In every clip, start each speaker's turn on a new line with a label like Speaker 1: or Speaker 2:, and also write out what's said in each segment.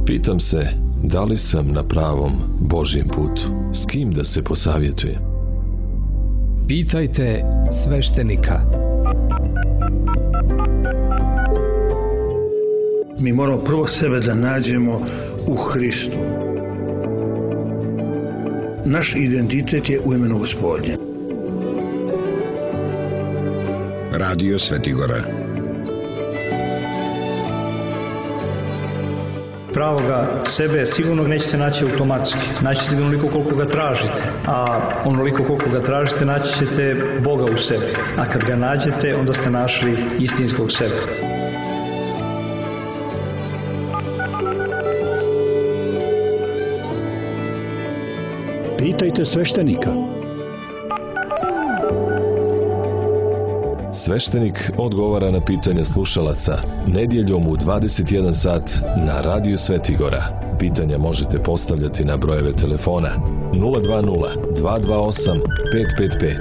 Speaker 1: Pitam se, da li sam na pravom Božjem putu? S kim da se posavjetujem?
Speaker 2: Pitajte sveštenika.
Speaker 3: Mi moramo prvo sebe da nađemo u Hristu. Naš identitet je u imenu Gospodnje.
Speaker 4: Radio Svetigora.
Speaker 5: Pravoga sebe sigurno nećete naći automatski. Naći ćete onoliko koliko ga tražite. A onoliko koliko ga tražite naći ćete Boga u sebi. A kad ga nađete, onda ste našli istinskog sebe.
Speaker 6: Pitajte sveštenika.
Speaker 1: Sveštenik odgovara na pitanja slušalaca nedjeljom u 21 sat na Radio Svetigora. Pitanja možete postavljati na brojeve telefona 020 228 555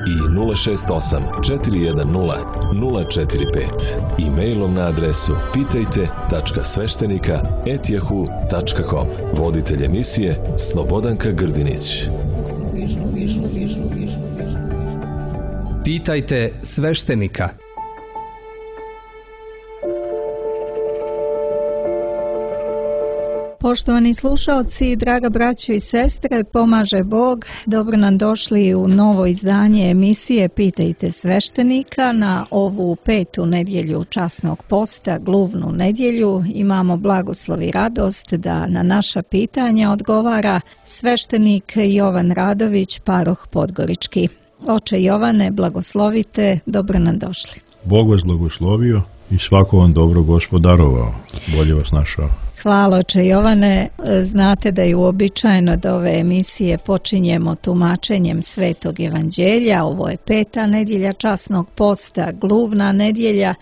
Speaker 1: i 068 410 045 i mailom na adresu pitajte.sveštenika@yahoo.com. Voditelj emisije Slobodanka Grdinić.
Speaker 2: Pitajte sveštenika.
Speaker 7: Poštovani slušalci, draga braćo i sestre, pomaže Bog. Dobro nam došli u novo izdanje emisije Pitajte sveštenika na ovu 5. nedjelju časnog posta, gluvnu nedjelju. Imamo blagoslov i radost da na naša pitanja odgovara sveštenik Jovan Radović, paroh Podgorički. Oče Jovane, blagoslovite, dobro nam došli.
Speaker 8: Bog vas blagoslovio i svako vam dobro Gospod darovao. Bolje vas našao.
Speaker 7: Hvala, oče Jovane. Znate da je uobičajeno da ove emisije počinjemo tumačenjem Svetog Evanđelja. Ovo je 5. nedjelja časnog posta, gluvna nedjelja,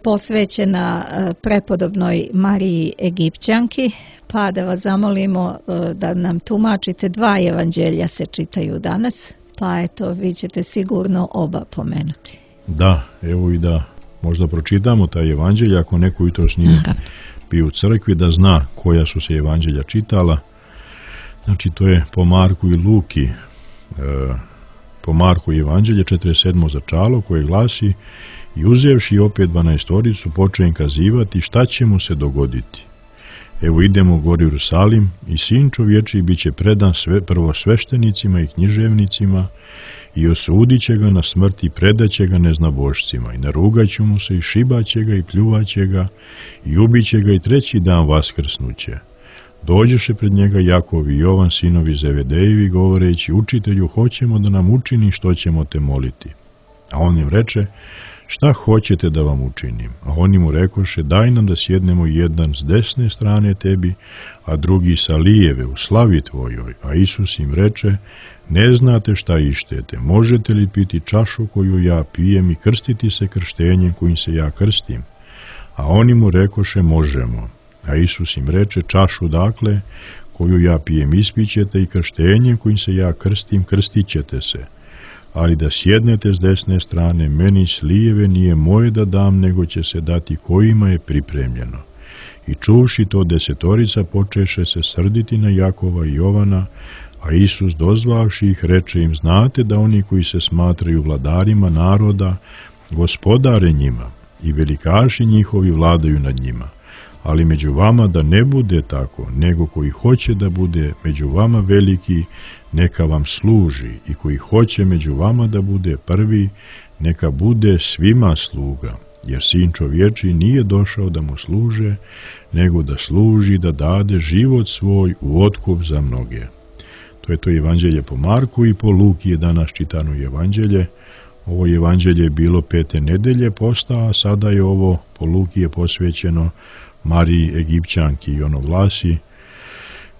Speaker 7: posvećena prepodobnoj Mariji Egipćanki, pa da vas zamolimo da nam tumačite 2 evanđelja se čitaju danas, pa eto, vi ćete sigurno oba pomenuti.
Speaker 8: Da, evo i da možda pročitamo taj evanđelj, ako neko jutros nije bio u crkvi, da zna koja su se evanđelja čitala. Znači, to je po Marku i Luki. Po Marku evanđelje 47. začalo koje glasi: i uzevši opet 12 počeo im kazivati šta će mu se dogoditi. Evo idemo gori u Jerusalim i sin čovječiji bit će predan prvo sveštenicima i književnicima i osudit će ga na smrt i predat će ga neznabošcima i narugat će mu se i šibat će ga i pljuvat će ga i ubit će ga i 3. dan vaskrsnuće. Dođeše pred njega Jakov i Jovan, sinovi Zevedejevi, govoreći: učitelju, hoćemo da nam učini što ćemo te moliti. A on im reče: šta hoćete da vam učinim? A oni mu rekoše: daj nam da sjednemo jedan s desne strane tebi, a drugi sa lijeve u slavi tvojoj. A Isus im reče: ne znate šta ištete, možete li piti čašu koju ja pijem i krstiti se krštenjem kojim se ja krstim? A oni mu rekoše: možemo. A Isus im reče: čašu dakle koju ja pijem ispićete i krštenjem kojim se ja krstim krstit ćete se. Ali da sjednete s desne strane meni s lijeve nije moje da dam, nego će se dati kojima je pripremljeno. I čuvši to 10 počeše se srditi na Jakova i Jovana, a Isus dozvavši ih reče im: znate da oni koji se smatraju vladarima naroda gospodare njima i velikaši njihovi vladaju nad njima. Ali među vama da ne bude tako, nego koji hoće da bude među vama veliki, neka vam služi, i koji hoće među vama da bude prvi, neka bude svima sluga. Jer sin čovječiji nije došao da mu služe, nego da služi, da dade život svoj u otkup za mnoge. To je to evanđelje po Marku, i po Luki je danas čitano evanđelje. Ovo evanđelje je bilo 5. nedelje posta, a sada je ovo po Luki je posvećeno Mariji Egipćanki i ono glasi: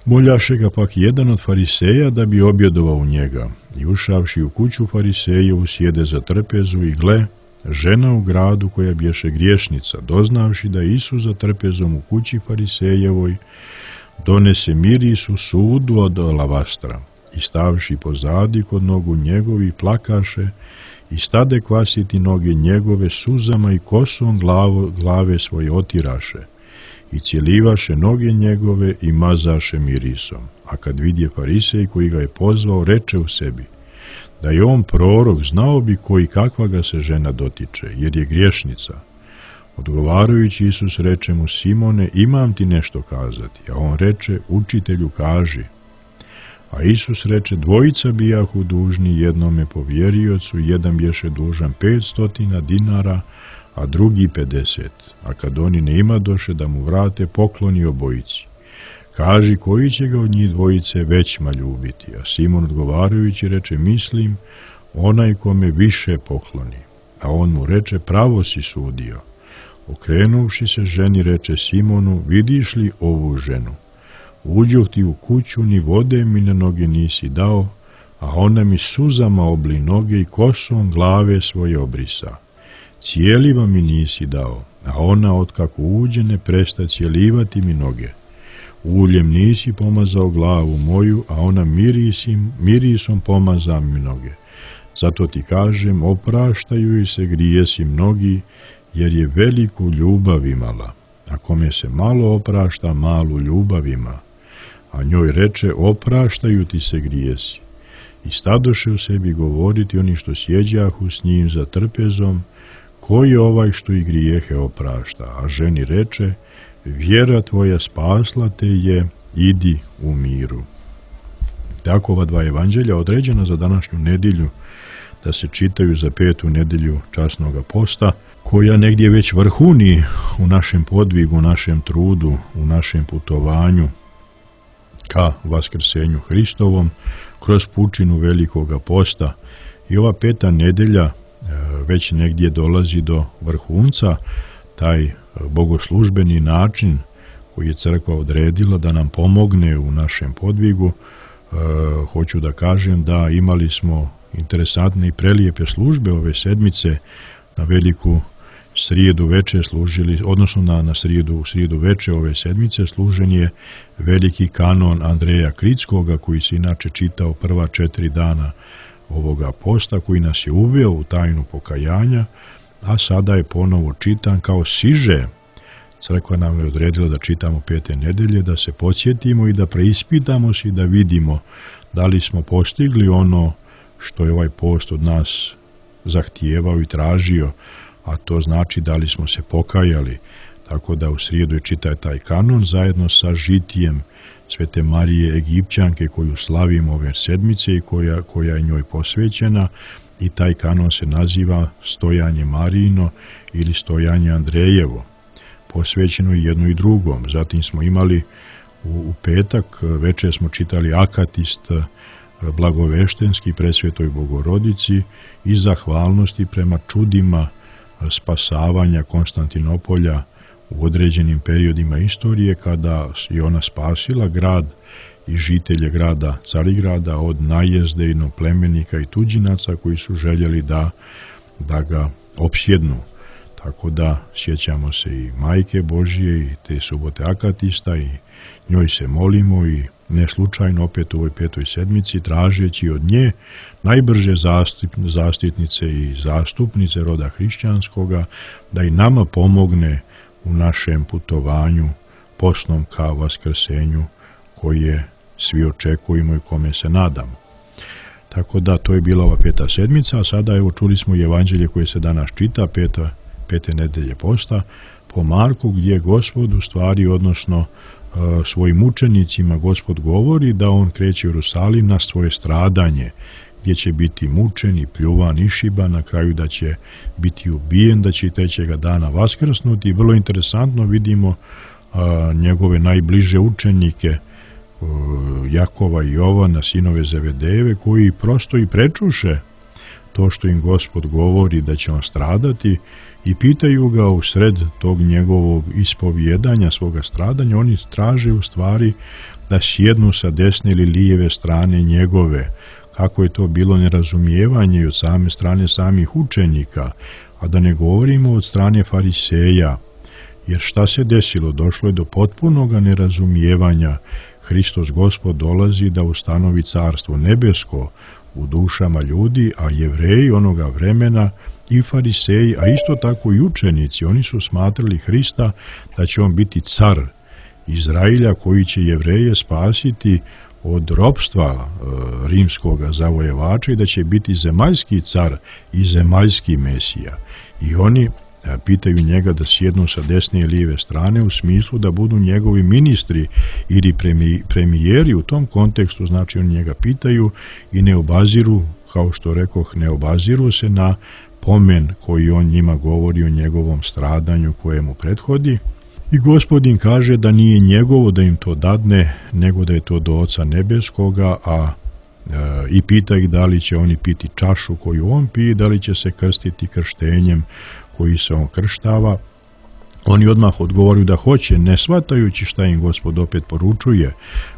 Speaker 8: moljaše ga pak jedan od fariseja da bi objedovao u njega, i ušavši u kuću farisejevu sjede za trpezu, i gle, žena u gradu koja bješe griješnica, doznavši da je Isus za trpezom u kući farisejevoj, donese mirisu sudu od alavastra, i stavši pozadi kod nogu njegovi plakaše, i stade kvasiti noge njegove suzama i kosom glave svoje otiraše. i cjelivaše noge njegove i mazaše mirisom. A kad vidje farisej koji ga je pozvao, reče u sebi: da je on prorok, znao bi koji kakva ga se žena dotiče, jer je griješnica. Odgovarajući Isus reče mu: Simone, imam ti nešto kazati. A on reče: učitelju, kaži. A Isus reče: dvojica bijahu dužni jednome povjeriocu, jedan bješe dužan 500 dinara, a drugi 50. A kad oni ne imadoše da mu vrate, pokloni obojici. Kaži koji će ga od njih dvojice većma ljubiti. A Simon odgovarajući reče: mislim, onaj kome više pokloni. A on mu reče: pravo si sudio. Okrenuvši se ženi, reče Simonu: vidiš li ovu ženu? Uđoh ti u kuću, ni vode mi na noge nisi dao, a ona mi suzama obli noge i kosom glave svoje obrisa. Cijeliva mi nisi dao, a ona otkako uđe ne presta cijelivati mi noge. Uljem nisi pomazao glavu moju, a ona mirisom pomaza mi noge. Zato ti kažem, opraštaju joj se grijesi mnogi, jer je veliku ljubav imala. A kome se malo oprašta, malu ljubav ima. A njoj reče: opraštaju ti se grijesi. I stadoše u sebi govoriti oni što sjeđahu s njim za trpezom: ko je ovaj što i grijehe oprašta? A ženi reče: vjera tvoja spasla te je, idi u miru. Tako ova dva evanđelja određena za današnju nedjelju da se čitaju za 5. nedjelju časnoga posta, koja negdje već vrhuni u našem podvigu, u našem trudu, u našem putovanju ka vaskrsenju Hristovom kroz pučinu velikoga posta. I ova 5. nedjelja već negdje dolazi do vrhunca, taj bogoslužbeni način koji je crkva odredila da nam pomogne u našem podvigu. Hoću da kažem da imali smo interesantne i prelijepe službe ove sedmice. Na veliku srijedu veče služili, odnosno na srijedu veče ove sedmice služen je veliki kanon Andreja Kritskoga, koji se inače čitao prva 4 dana ovoga posta, koji nas je uveo u tajnu pokajanja, a sada je ponovo čitan kao siže. Crkva nam je odredila da čitamo 5. nedjelje, da se podsjetimo i da preispitamo se i da vidimo da li smo postigli ono što je ovaj post od nas zahtijevao i tražio, a to znači da li smo se pokajali. Tako da u srijedu je čita taj kanon zajedno sa žitijem Svete Marije Egipćanke koju slavimo ove sedmice i koja je njoj posvećena, i taj kanon se naziva Stojanje Marijino ili Stojanje Andrejevo, posvećeno jedno i drugom. Zatim smo imali u petak večer smo čitali Akatist blagoveštenski presvetoj Bogorodici i zahvalnosti prema čudima spasavanja Konstantinopolja u određenim periodima istorije, kada je ona spasila grad i žitelje grada Carigrada od najezde inoplemenika i tuđinaca koji su željeli da ga opsjednu. Tako da sjećamo se i Majke Božije i te subote Akatista i njoj se molimo, i ne slučajno opet u ovoj 5. sedmici tražeći od nje najbrže zaštitnice i zastupnice roda hrišćanskoga da i nama pomogne u našem putovanju postnom ka vaskrsenju koje svi očekujemo i kome se nadamo. Tako da to je bila ova 5. sedmica, a sada evo čuli smo i evanđelje koje se danas čita, 5. nedjelje posta, po Marku, gdje Gospod u stvari, odnosno svojim učenicima Gospod govori da on kreće u Jerusalim na svoje stradanje, gdje će biti mučen i pljuvan, išiban, na kraju da će biti ubijen, da će i 3. dana vaskrsnuti. I vrlo interesantno vidimo njegove najbliže učenike, Jakova i Jovana, sinove Zevedejeve, koji prosto i prečuše to što im Gospod govori da će on stradati, i pitaju ga u sred tog njegovog ispovjedanja svoga stradanja. Oni traže u stvari da sjednu sa desne ili lijeve strane njegove. Kako je to bilo nerazumijevanje od same strane samih učenika, a da ne govorimo od strane fariseja. Jer šta se desilo? Došlo je do potpunog nerazumijevanja. Hristos Gospod dolazi da ustanovi carstvo nebesko u dušama ljudi, a Jevreji onoga vremena i fariseji, a isto tako i učenici, oni su smatrali Hrista da će on biti car Izrailja koji će Jevreje spasiti od ropstva rimskog zavojevača i da će biti zemaljski car i zemaljski mesija. I oni pitaju njega da sjednu sa desne i lijeve strane u smislu da budu njegovi ministri ili premijeri. U tom kontekstu, znači, oni njega pitaju i ne obaziru, kao što rekoh, ne obaziru se na pomen koji on njima govori o njegovom stradanju koje mu prethodi. I Gospodin kaže da nije njegovo da im to dadne, nego da je to do Oca Nebeskoga, i pita ih da li će oni piti čašu koju on pije, da li će se krstiti krštenjem koji se on krštava. Oni odmah odgovaraju da hoće, ne shvatajući šta im Gospod opet poručuje.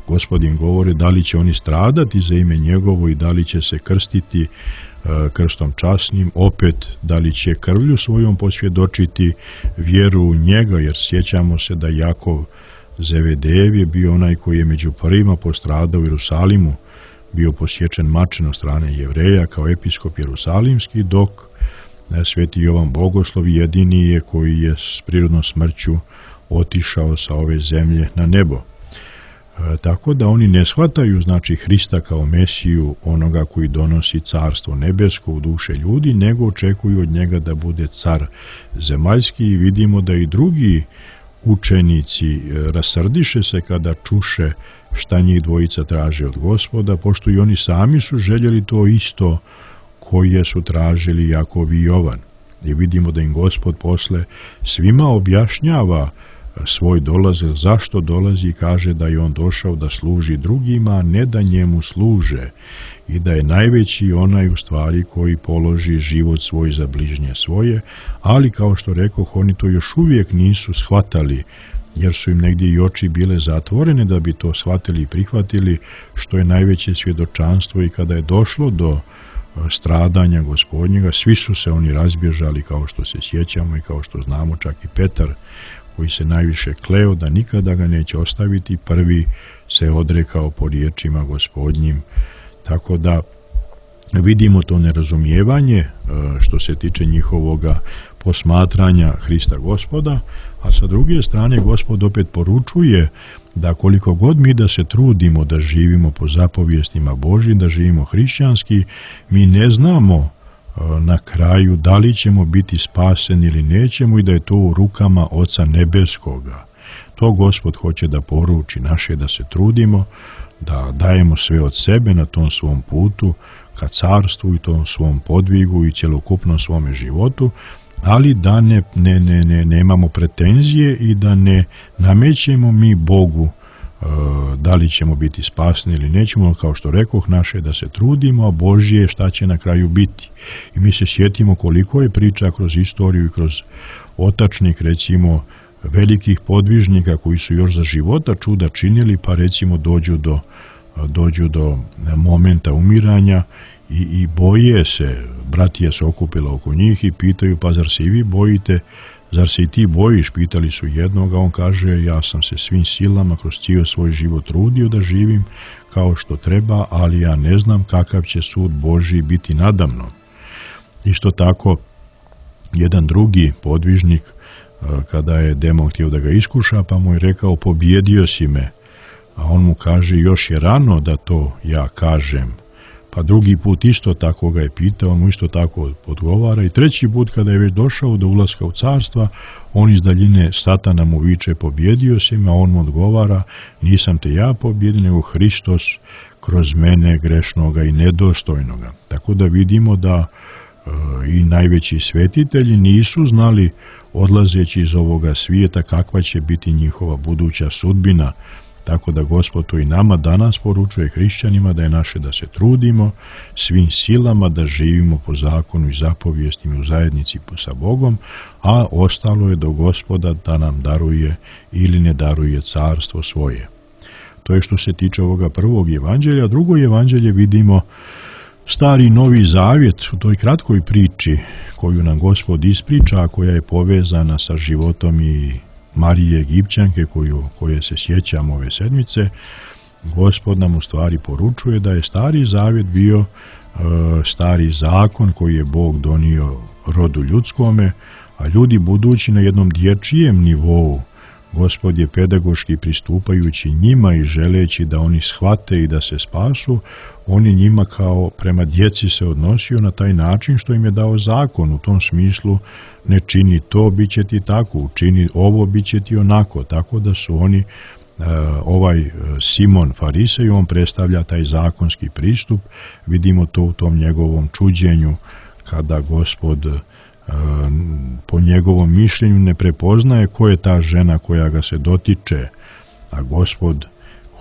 Speaker 8: Gospodin govori da li će oni stradati za ime njegovo i da li će se krstiti krstom časnim, opet da li će krvlju svojom posvjedočiti vjeru u njega, jer sjećamo se da Jakov Zevedejev je bio onaj koji je među prvima postradao u Jerusalimu, bio posječen mačem od strane Jevreja kao episkop Jerusalimski, dok Sveti Jovan Bogoslov jedini je koji je s prirodnom smrću otišao sa ove zemlje na nebo. Tako da oni ne shvataju, znači, Hrista kao Mesiju, onoga koji donosi carstvo nebesko u duše ljudi, nego očekuju od njega da bude car zemaljski. I vidimo da i drugi učenici rasrdiše se kada čuše šta njih dvojica traže od Gospoda, pošto i oni sami su željeli to isto koje su tražili Jakov i Jovan. I vidimo da im Gospod posle svima objašnjava svoj dolazak, zašto dolazi, i kaže da je on došao da služi drugima, a ne da njemu služe, i da je najveći onaj u stvari koji položi život svoj za bližnje svoje, ali kao što rekoh, oni to još uvijek nisu shvatali, jer su im negdje i oči bile zatvorene da bi to shvatili i prihvatili, što je najveće svjedočanstvo. I kada je došlo do stradanja Gospodnjega, svi su se oni razbježali, kao što se sjećamo i kao što znamo, čak i Petar, koji se najviše kleo da nikada ga neće ostaviti, prvi se odrekao po riječima Gospodnjim. Tako da vidimo to nerazumijevanje što se tiče njihovoga posmatranja Hrista Gospoda, a sa druge strane Gospod opet poručuje da koliko god mi da se trudimo da živimo po zapovijestima Božjim, da živimo hrišćanski, mi ne znamo na kraju da li ćemo biti spaseni ili nećemo, i da je to u rukama Oca Nebeskoga. To Gospod hoće da poruči. Naše da se trudimo, da dajemo sve od sebe na tom svom putu ka carstvu i tom svom podvigu i cjelokupnom svome životu, ali da nemamo pretenzije i da ne namećemo mi Bogu da li ćemo biti spasni ili nećemo. Kao što rekoh, naše da se trudimo, a Božje je šta će na kraju biti. I mi se sjetimo koliko je priča kroz istoriju i kroz otačnik, recimo, velikih podvižnika koji su još za života čuda činili, pa recimo dođu do momenta umiranja i boje se. Bratija se okupila oko njih i pitaju: pa zar se i vi bojite, zar se i ti bojiš? Pitali su jednoga, on kaže: ja sam se svim silama kroz cijeli svoj život trudio da živim kao što treba, ali ja ne znam kakav će sud Božji biti nadamnom. Isto tako, jedan drugi podvižnik, kada je demon htio da ga iskuša, pa mu je rekao: pobjedio si me. A on mu kaže: još je rano da to ja kažem. Pa drugi put isto tako ga je pitao, on mu isto tako odgovara. I treći put, kada je već došao do ulaska u carstva, on iz daljine Satana mu viče: pobjedio si me, a on mu odgovara: nisam te ja pobjedio, nego Hristos kroz mene, grešnoga i nedostojnoga. Tako da vidimo da i najveći svetitelji nisu znali, odlazeći iz ovoga svijeta, kakva će biti njihova buduća sudbina. Tako da Gospod to i nama danas poručuje, hrišćanima, da je naše da se trudimo svim silama da živimo po zakonu i zapovijestima u zajednici sa Bogom, a ostalo je do Gospoda da nam daruje ili ne daruje carstvo svoje. To je što se tiče ovoga prvog evanđelja. Drugo evanđelje vidimo Stari i Novi Zavjet u toj kratkoj priči koju nam Gospod ispriča, a koja je povezana sa životom i Marije Egipćanke koje se sjećamo ove sedmice. Gospod nam u stvari poručuje da je Stari Zavjet bio stari zakon koji je Bog donio rodu ljudskome, a ljudi budući na jednom dječjem nivou, Gospod je pedagoški pristupajući njima i želeći da oni shvate i da se spasu, on je njima kao prema djeci se odnosio na taj način što im je dao zakon. U tom smislu ne čini to, bit će ti tako, učini ovo, bit će ti onako. Tako da su oni, ovaj Simon Farisej, on predstavlja taj zakonski pristup. Vidimo to u tom njegovom čuđenju kada Gospod po njegovom mišljenju ne prepoznaje ko je ta žena koja ga se dotiče, a Gospod,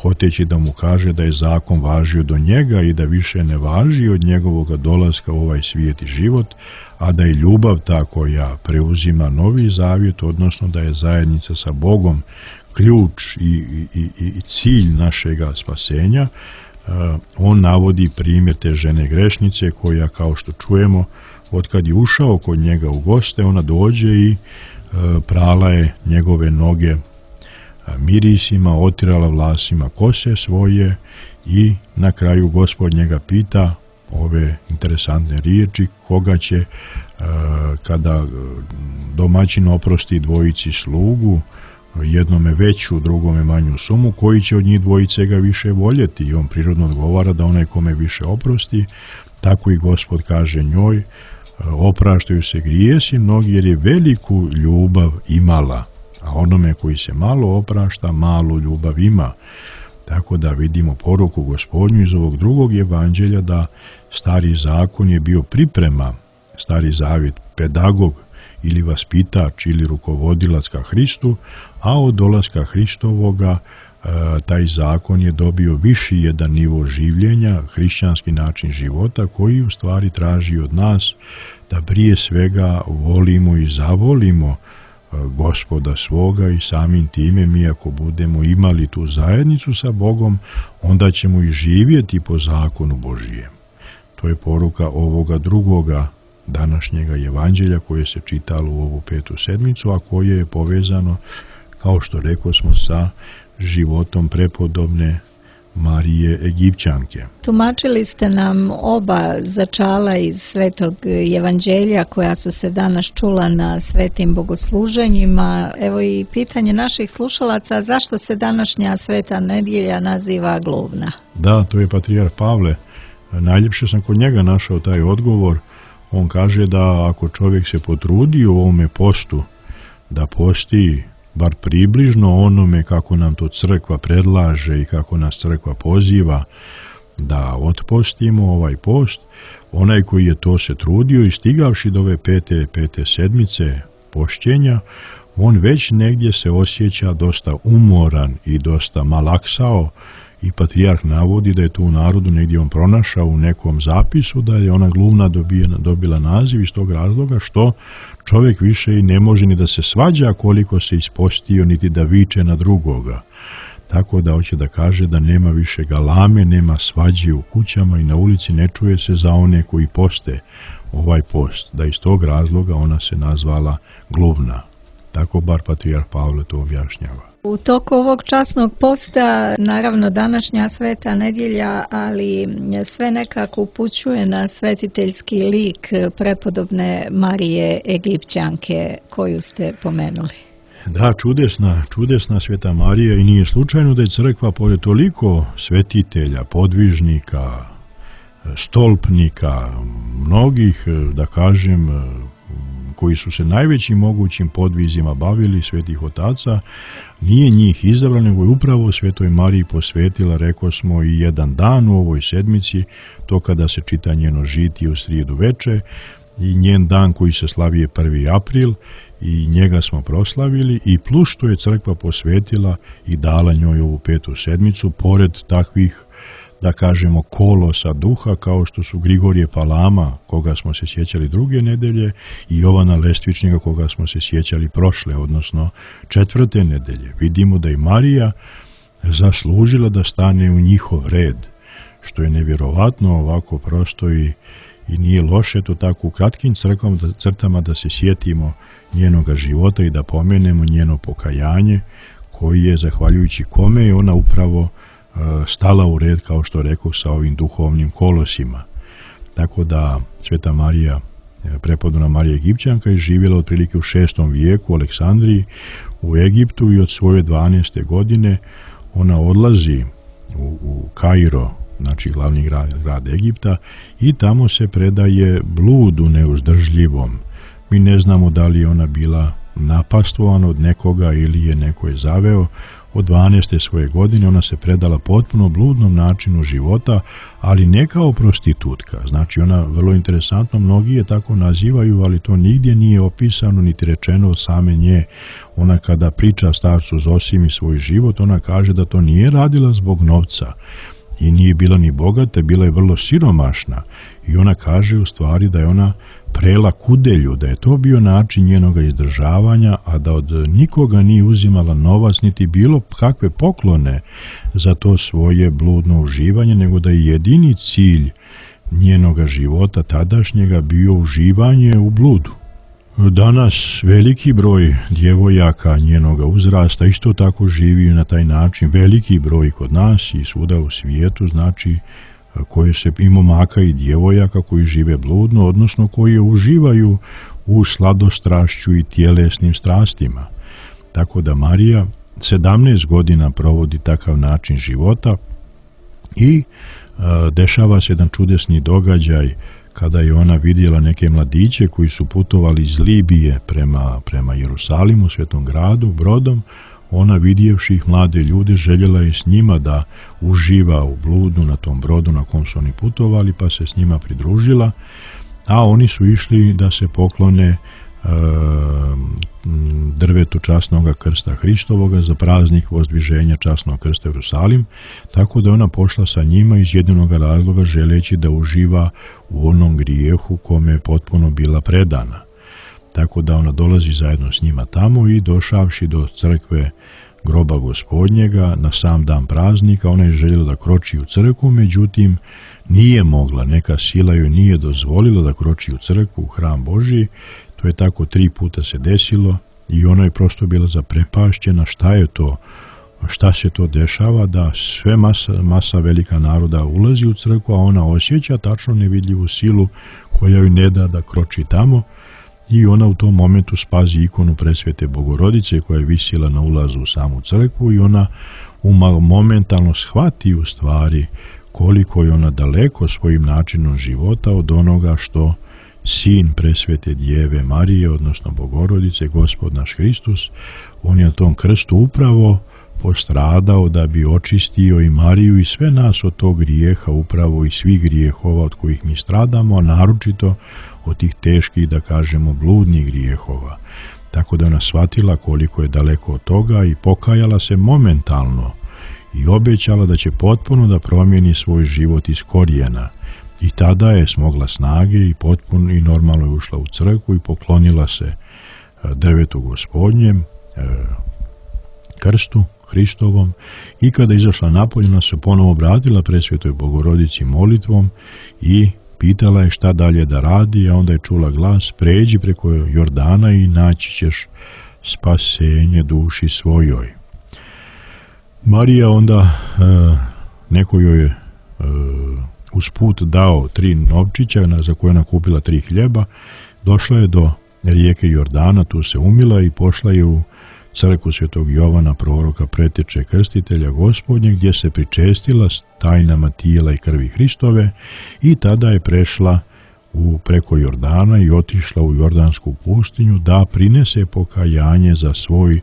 Speaker 8: hoteći da mu kaže da je zakon važio do njega i da više ne važi od njegovog dolaska u ovaj svijet i život, a da je ljubav ta koja preuzima novi zavjet, odnosno da je zajednica sa Bogom ključ i cilj našega spasenja. On navodi primjer te žene grešnice koja, kao što čujemo, otkad je ušao kod njega u goste, ona dođe i prala je njegove noge mirisima, otirala vlasima kose svoje i na kraju Gospod njega pita ove interesantne riječi, koga će kada domaćin oprosti dvojici slugu, jednome veću, drugome manju sumu, koji će od njih dvojice ga više voljeti, i on prirodno odgovara da onaj kome više oprosti. Tako i Gospod kaže njoj, opraštaju se grijesi mnogi jer je veliku ljubav imala, a onome koji se malo oprašta, malu ljubav ima. Tako da vidimo poruku Gospodnju iz ovog drugog evanđelja da stari zakon je bio priprema, stari zavjet pedagog ili vaspitač ili rukovodilac ka Hristu, a od dolaska Hristovoga taj zakon je dobio viši jedan nivo življenja, hrišćanski način života koji u stvari traži od nas da prije svega volimo i zavolimo Gospoda svoga i samim time mi ako budemo imali tu zajednicu sa Bogom, onda ćemo i živjeti po zakonu Božijem. To je poruka ovoga drugoga današnjega evanđelja koje se čitalo u ovu 5. sedmicu, a koje je povezano, kao što rekosmo, sa životom prepodobne Marije Egipćanke.
Speaker 7: Tumačili ste nam oba začala iz Svetog evanđelja koja su se danas čula na svetim bogosluženjima. Evo i pitanje naših slušalaca, zašto se današnja sveta nedjelja naziva gluvna?
Speaker 8: Da, to je patrijarh Pavle. Najljepše sam kod njega našao taj odgovor. On kaže da ako čovjek se potrudi u ovome postu, da posti bar približno onome kako nam to crkva predlaže i kako nas crkva poziva da otpostimo ovaj post, onaj koji je to se trudio i stigavši do ove pete sedmice pošćenja, on već negdje se osjeća dosta umoran i dosta malaksao, i patrijarh navodi da je tu u narodu negdje on pronašao u nekom zapisu da je ona gluvna dobila naziv iz tog razloga što čovjek više i ne može ni da se svađa koliko se ispostio, niti da viče na drugoga. Tako da hoće da kaže da nema više galame, nema svađe u kućama i na ulici ne čuje se za one koji poste ovaj post, da iz tog razloga ona se nazvala gluvna. Tako bar patrijarh Pavle to objašnjava.
Speaker 7: U toku ovog časnog posta, naravno današnja sveta nedjelja, ali sve nekako upućuje na svetiteljski lik prepodobne Marije Egipćanke koju ste pomenuli.
Speaker 8: Da, čudesna sveta Marija, i nije slučajno da je crkva pored toliko svetitelja, podvižnika, stolpnika, mnogih, da kažem, koji su se najvećim mogućim podvizima bavili, svetih otaca, nije njih izabrala, nego je upravo Svetoj Mariji posvetila, rekosmo, i jedan dan u ovoj sedmici, to kada se čita njeno žitije u srijedu veče, i njen dan koji se slavi je 1. april, i njega smo proslavili, i plus što je crkva posvetila i dala njoj ovu 5. sedmicu, pored takvih, da kažemo, kolosa duha, kao što su Grigorije Palama, koga smo se sjećali druge nedelje, i Jovana Lestvičnika, koga smo se sjećali prošle, odnosno 4. nedelje. Vidimo da je Marija zaslužila da stane u njihov red, što je nevjerovatno ovako prosto i nije loše to tako u kratkim crtama da se sjetimo njenoga života i da pomenemo njeno pokajanje, koji je, zahvaljujući kome je ona upravo stala u red, kao što rekao, sa ovim duhovnim kolosima. tako da Sveta Marija, prepodobna Marija Egipćanka, je živjela otprilike u 6. vijeku u Aleksandriji u Egiptu i od svoje 12. godine ona odlazi u Kairo, znači glavni grad Egipta, i tamo se predaje bludu neuzdržljivom. Mi ne znamo da li je ona bila napastvovana od nekoga ili je neko je zaveo. Od 12. svoje godine ona se predala potpuno bludnom načinu života, ali ne kao prostitutka. Znači ona, vrlo interesantno, mnogi je tako nazivaju, ali to nigdje nije opisano niti rečeno od same nje. Ona kada priča starcu Zosimi svoj život, ona kaže da to nije radila zbog novca i nije bila ni bogata, bila je vrlo siromašna, i ona kaže u stvari da je ona prela kudelju, da je to bio način njenoga izdržavanja, a da od nikoga nije uzimala novac niti bilo kakve poklone za to svoje bludno uživanje, nego da je jedini cilj njenoga života tadašnjega bio uživanje u bludu. Danas veliki broj djevojaka njenoga uzrasta isto tako živi na taj način, veliki broj kod nas i svuda u svijetu, znači koje se i momaka i djevojaka koji žive bludno, odnosno koji uživaju u sladostrašću i tjelesnim strastima. Tako da Marija 17 godina provodi takav način života i dešava se jedan čudesni događaj kada je ona vidjela neke mladiće koji su putovali iz Libije prema Jerusalimu, svetom gradu, brodom. Ona, vidjevši ih mlade ljude, željela je s njima da uživa u bludu na tom brodu na kom su oni putovali, pa se s njima pridružila, a oni su išli da se poklone drvetu časnoga krsta Hristovoga za praznik vozdviženja časnog krsta Jerusalim, tako da ona pošla sa njima iz jedinog razloga želeći da uživa u onom grijehu kome je potpuno bila predana. Tako da ona dolazi zajedno s njima tamo i došavši do crkve groba Gospodnjega na sam dan praznika, ona je željela da kroči u crkvu, međutim nije mogla, neka sila joj nije dozvolila da kroči u crkvu, u hram Božji. To je tako 3 puta se desilo i ona je prosto bila zaprepašćena šta je to, šta se to dešava, da sve masa velika naroda ulazi u crkvu, a ona osjeća tačno nevidljivu silu koja joj ne da kroči tamo. I ona u tom momentu spazi ikonu Presvete Bogorodice koja je visila na ulazu u samu crkvu i ona momentalno shvati u stvari koliko je ona daleko svojim načinom života od onoga što sin Presvete Djeve Marije, odnosno Bogorodice, Gospod naš Hristus, on je na tom krstu upravo postradao da bi očistio i Mariju i sve nas od tog grijeha, upravo i svih grijehova od kojih mi stradamo, a naročito od tih teških, da kažemo, bludnih grijehova. Tako da ona shvatila koliko je daleko od toga i pokajala se momentalno i obećala da će potpuno da promijeni svoj život iz korijena. I tada je smogla snage i potpuno i normalno je ušla u crkvu i poklonila se drvetu Gospodnjem, krstu Hristovom, i kada je izašla napolje, ona se ponovo obratila Presvetoj Bogorodici molitvom i pitala je šta dalje da radi, a onda je čula glas: pređi preko Jordana i naći ćeš spasenje duši svojoj. Marija onda neko joj je usput dao 3 novčića za koje ona kupila 3 hljeba, došla je do rijeke Jordana, tu se umila i pošla je u crkvu Svetog Jovana, proroka, preteče krstitelja Gospodnje, gdje se pričestila s tajnama tijela i krvi Hristove, i tada je prešla preko Jordana i otišla u Jordansku pustinju da prinese pokajanje za svoj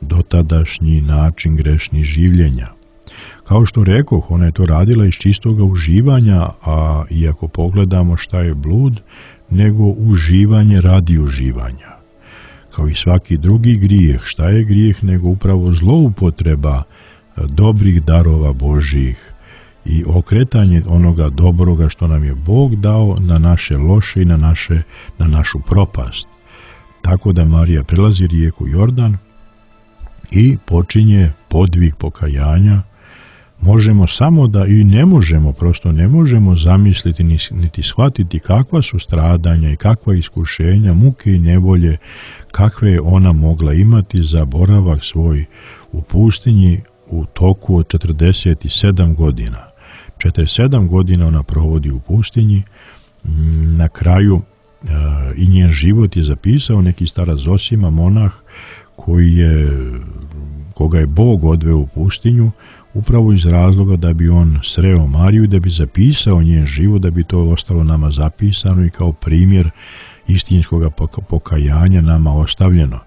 Speaker 8: dotadašnji način grešnih življenja. Kao što rekoh, ona je to radila iz čistoga uživanja, a iako pogledamo šta je blud, nego uživanje radi uživanja. Kao i svaki drugi grijeh, šta je grijeh nego upravo zloupotreba dobrih darova Božjih i okretanje onoga dobroga što nam je Bog dao na naše loše i na našu propast. Tako da Marija prelazi rijeku Jordan i počinje podvig pokajanja. Možemo samo da, i ne možemo, prosto ne možemo zamisliti niti shvatiti kakva su stradanja i kakva iskušenja, muke i nevolje, kakve je ona mogla imati za boravak svoj u pustinji u toku od 47 godina. 47 godina ona provodi u pustinji na kraju i njen život je zapisao neki starac Zosima, monah, koga je Bog odveo u pustinju upravo iz razloga da bi on sreo Mariju i da bi zapisao njen život, da bi to ostalo nama zapisano i kao primjer istinskog pokajanja nama ostavljeno.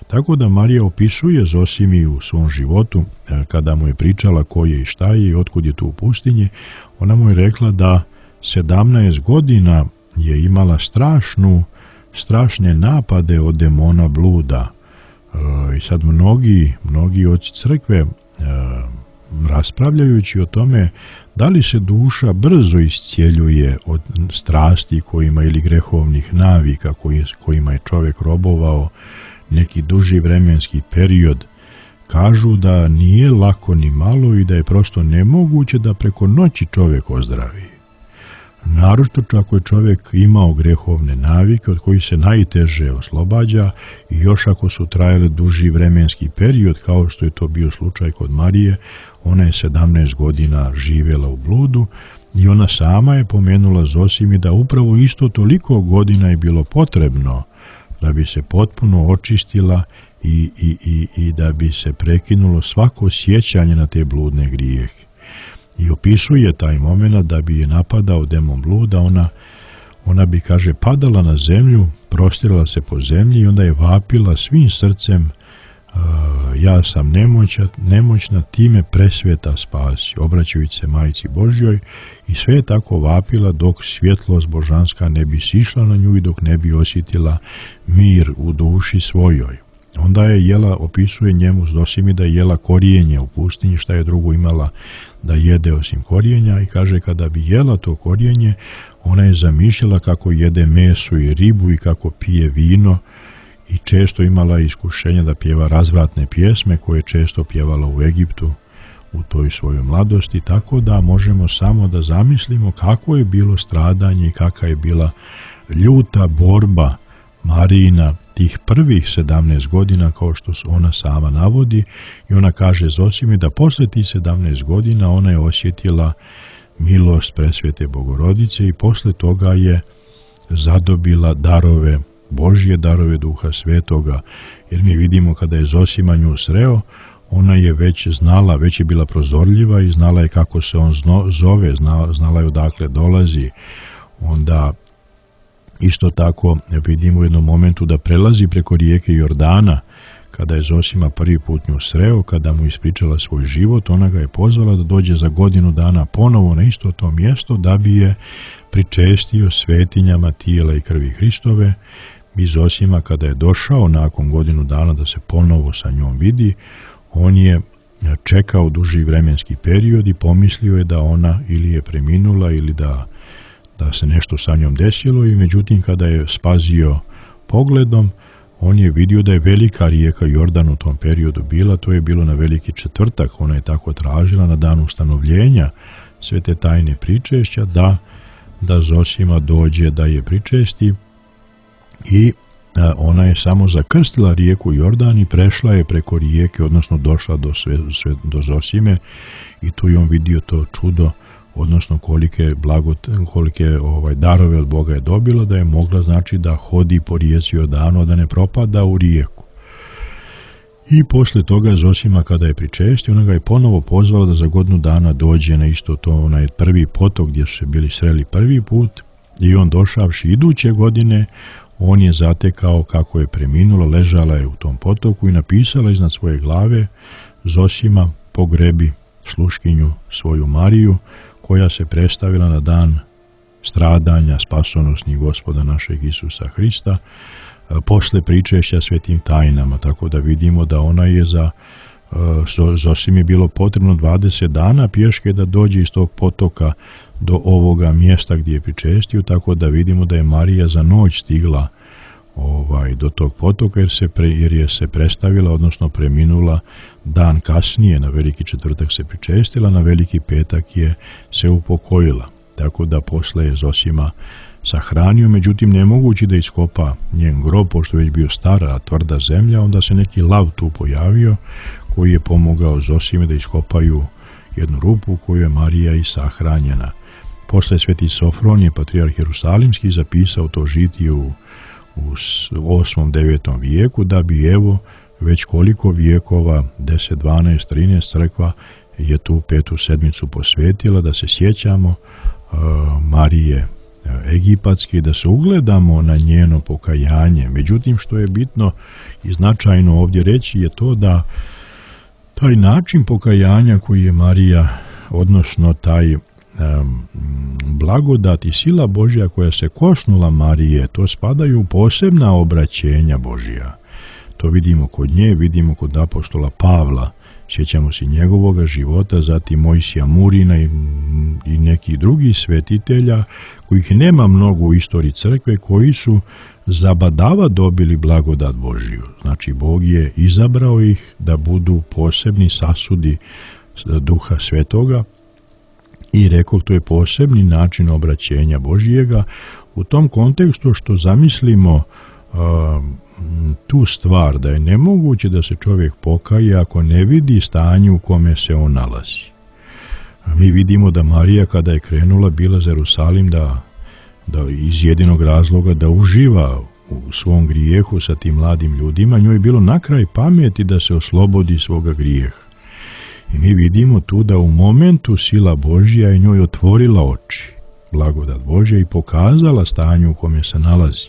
Speaker 8: Tako da Marija opisuje Zosimi u svom životu, kada mu je pričala ko je i šta je i otkud je tu u pustinji, ona mu je rekla da 17 godina je imala strašne napade od demona bluda. I sad mnogi oci crkve raspravljajući o tome da li se duša brzo iscjeljuje od strasti kojima ili grehovnih navika kojima je čovjek robovao neki duži vremenski period, kažu da nije lako ni malo i da je prosto nemoguće da preko noći čovjek ozdravi. Naročito ako je čovjek imao grehovne navike od kojih se najteže oslobađa i još ako su trajale duži vremenski period, kao što je to bio slučaj kod Marije, ona je 17 godina živjela u bludu i ona sama je pomenula Zosimi da upravo isto toliko godina je bilo potrebno da bi se potpuno očistila i da bi se prekinulo svako sjećanje na te bludne grijehe. I opisuje taj moment da bi je napadao demon bluda, ona bi, kaže, padala na zemlju, prostirala se po zemlji i onda je vapila svim srcem, ja sam nemoćna, ti me presveta spasi, obraćajući se Majci Božjoj, i sve je tako vapila dok svjetlost božanska ne bi sišla na nju i dok ne bi osjetila mir u duši svojoj. Onda je jela, opisuje njemu Zosimi da je jela korijenje u pustinji, šta je drugo imala da jede osim korijenja, i kaže kada bi jela to korijenje, ona je zamišljala kako jede meso i ribu i kako pije vino i često imala iskušenja da pjeva razvratne pjesme koje je često pjevala u Egiptu u toj svojoj mladosti, tako da možemo samo da zamislimo kako je bilo stradanje i kakva je bila ljuta borba Marijina tih prvih 17 godina, kao što ona sama navodi, i ona kaže Zosimi da posle tih 17 godina ona je osjetila milost presvete Bogorodice i posle toga je zadobila darove, Božje darove Duha Svetoga, jer mi vidimo kada je Zosima nju sreo, ona je već znala, već je bila prozorljiva i znala je kako se on zove, znala je odakle dolazi. Onda isto tako vidimo u jednom momentu da prelazi preko rijeke Jordana, kada je Zosima prvi put nju sreo, kada mu ispričala svoj život, ona ga je pozvala da dođe za godinu dana ponovo na isto to mjesto da bi je pričestio svetinjama tijela i krvi Hristove. I Zosima kada je došao nakon godinu dana da se ponovo sa njom vidi, on je čekao duži vremenski period i pomislio je da ona ili je preminula ili da se nešto sa njom desilo, i međutim kada je spazio pogledom, on je vidio da je velika rijeka Jordan u tom periodu bila, to je bilo na Veliki četvrtak, ona je tako tražila na dan ustanovljenja svete tajne pričešća da Zosima dođe da je pričesti, i ona je samo zakrstila rijeku Jordan i prešla je preko rijeke, odnosno došla do Zosime, i tu je on vidio to čudo, odnosno kolike darove od Boga je dobila, da je mogla, znači, da hodi po rijeci Jordanu, da ne propada u rijeku. I posle toga Zosima kada je pričestio, ona ga je ponovo pozvala da za godinu dana dođe na isto to, onaj prvi potok gdje su se bili sreli prvi put, i on došavši iduće godine, on je zatekao kako je preminula, ležala je u tom potoku i napisala iznad svoje glave: Zosima, pogrebi sluškinju svoju Mariju, koja se predstavila na dan stradanja spasonosnih Gospoda našeg Isusa Hrista, posle pričešća svetim tajnama, tako da vidimo da ona je Zosimi je bilo potrebno 20 dana pješke da dođe iz tog potoka do ovoga mjesta gdje je pričestio, tako da vidimo da je Marija za noć stigla do tog potoka jer je se predstavila, odnosno preminula dan kasnije, na Veliki četvrtak se pričestila, na Veliki petak je se upokojila, tako da posle je Zosima sahranio, međutim nemogući da iskopa njen grob, pošto je već bio stara, tvrda zemlja, onda se neki lav tu pojavio koji je pomogao Zosime da iskopaju jednu rupu u kojoj je Marija i sahranjena. Posle sveti Sofronije, patrijarh Jerusalimski, zapisao to žitije u 8. 9. vijeku, da bi evo već koliko vijekova, 10, 12, 13 crkva je tu 5. sedmicu posvetila da se sjećamo Marije Egipatske, da se ugledamo na njeno pokajanje. Međutim, što je bitno i značajno ovdje reći je to da taj način pokajanja koji je Marija, odnosno taj blagodat i sila Božja koja se kosnula Marije, to spadaju u posebna obraćenja Božja. To vidimo kod nje, vidimo kod apostola Pavla, sjećamo se njegovoga života, zatim Mojsija Murina i nekih drugih svetitelja, kojih nema mnogo u istoriji crkve, koji su zabadava dobili blagodat Božju. Znači, Bog je izabrao ih da budu posebni sasudi Duha Svetoga i rekao, to je posebni način obraćenja Božjega. U tom kontekstu što zamislimo tu stvar da je nemoguće da se čovjek pokaje ako ne vidi stanje u kome se on nalazi. Mi vidimo da Marija kada je krenula bila za Jerusalim da iz jedinog razloga da uživa u svom grijehu sa tim mladim ljudima, njoj je bilo na kraj pameti da se oslobodi svoga grijeha. I mi vidimo tu da u momentu sila Božja je njoj otvorila oči, blagodat Božja, i pokazala stanje u kome se nalazi.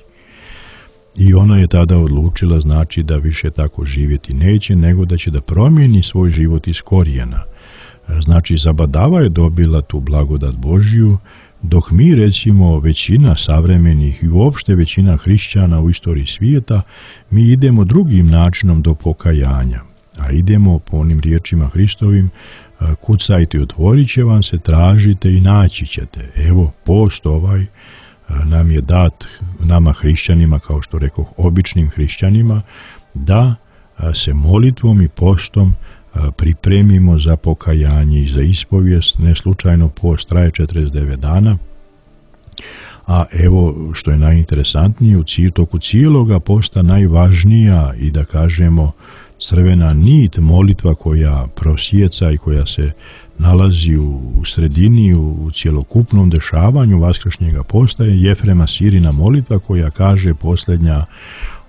Speaker 8: I ona je tada odlučila, znači, da više tako živjeti neće, nego da će da promijeni svoj život iz korijena. Znači, zabadava je dobila tu blagodat Božju, dok mi, recimo, većina savremenih i uopšte većina hrišćana u istoriji svijeta, mi idemo drugim načinom do pokajanja. A idemo po onim riječima Hristovim, kucajte, otvorit će vam se, tražite i naći ćete. Evo, post ovaj nam je dat, nama hrišćanima, kao što rekoh, običnim hrišćanima, da se molitvom i postom pripremimo za pokajanje i za ispovijest. Ne slučajno post traje 49 dana, a evo što je najinteresantnije, u toku cijeloga posta najvažnija i da kažemo crvena nit, molitva koja prosjeca i koja se nalazi u sredini, u cjelokupnom dešavanju vaskršnjega posta, je Jefrema Sirina molitva koja kaže, posljednja,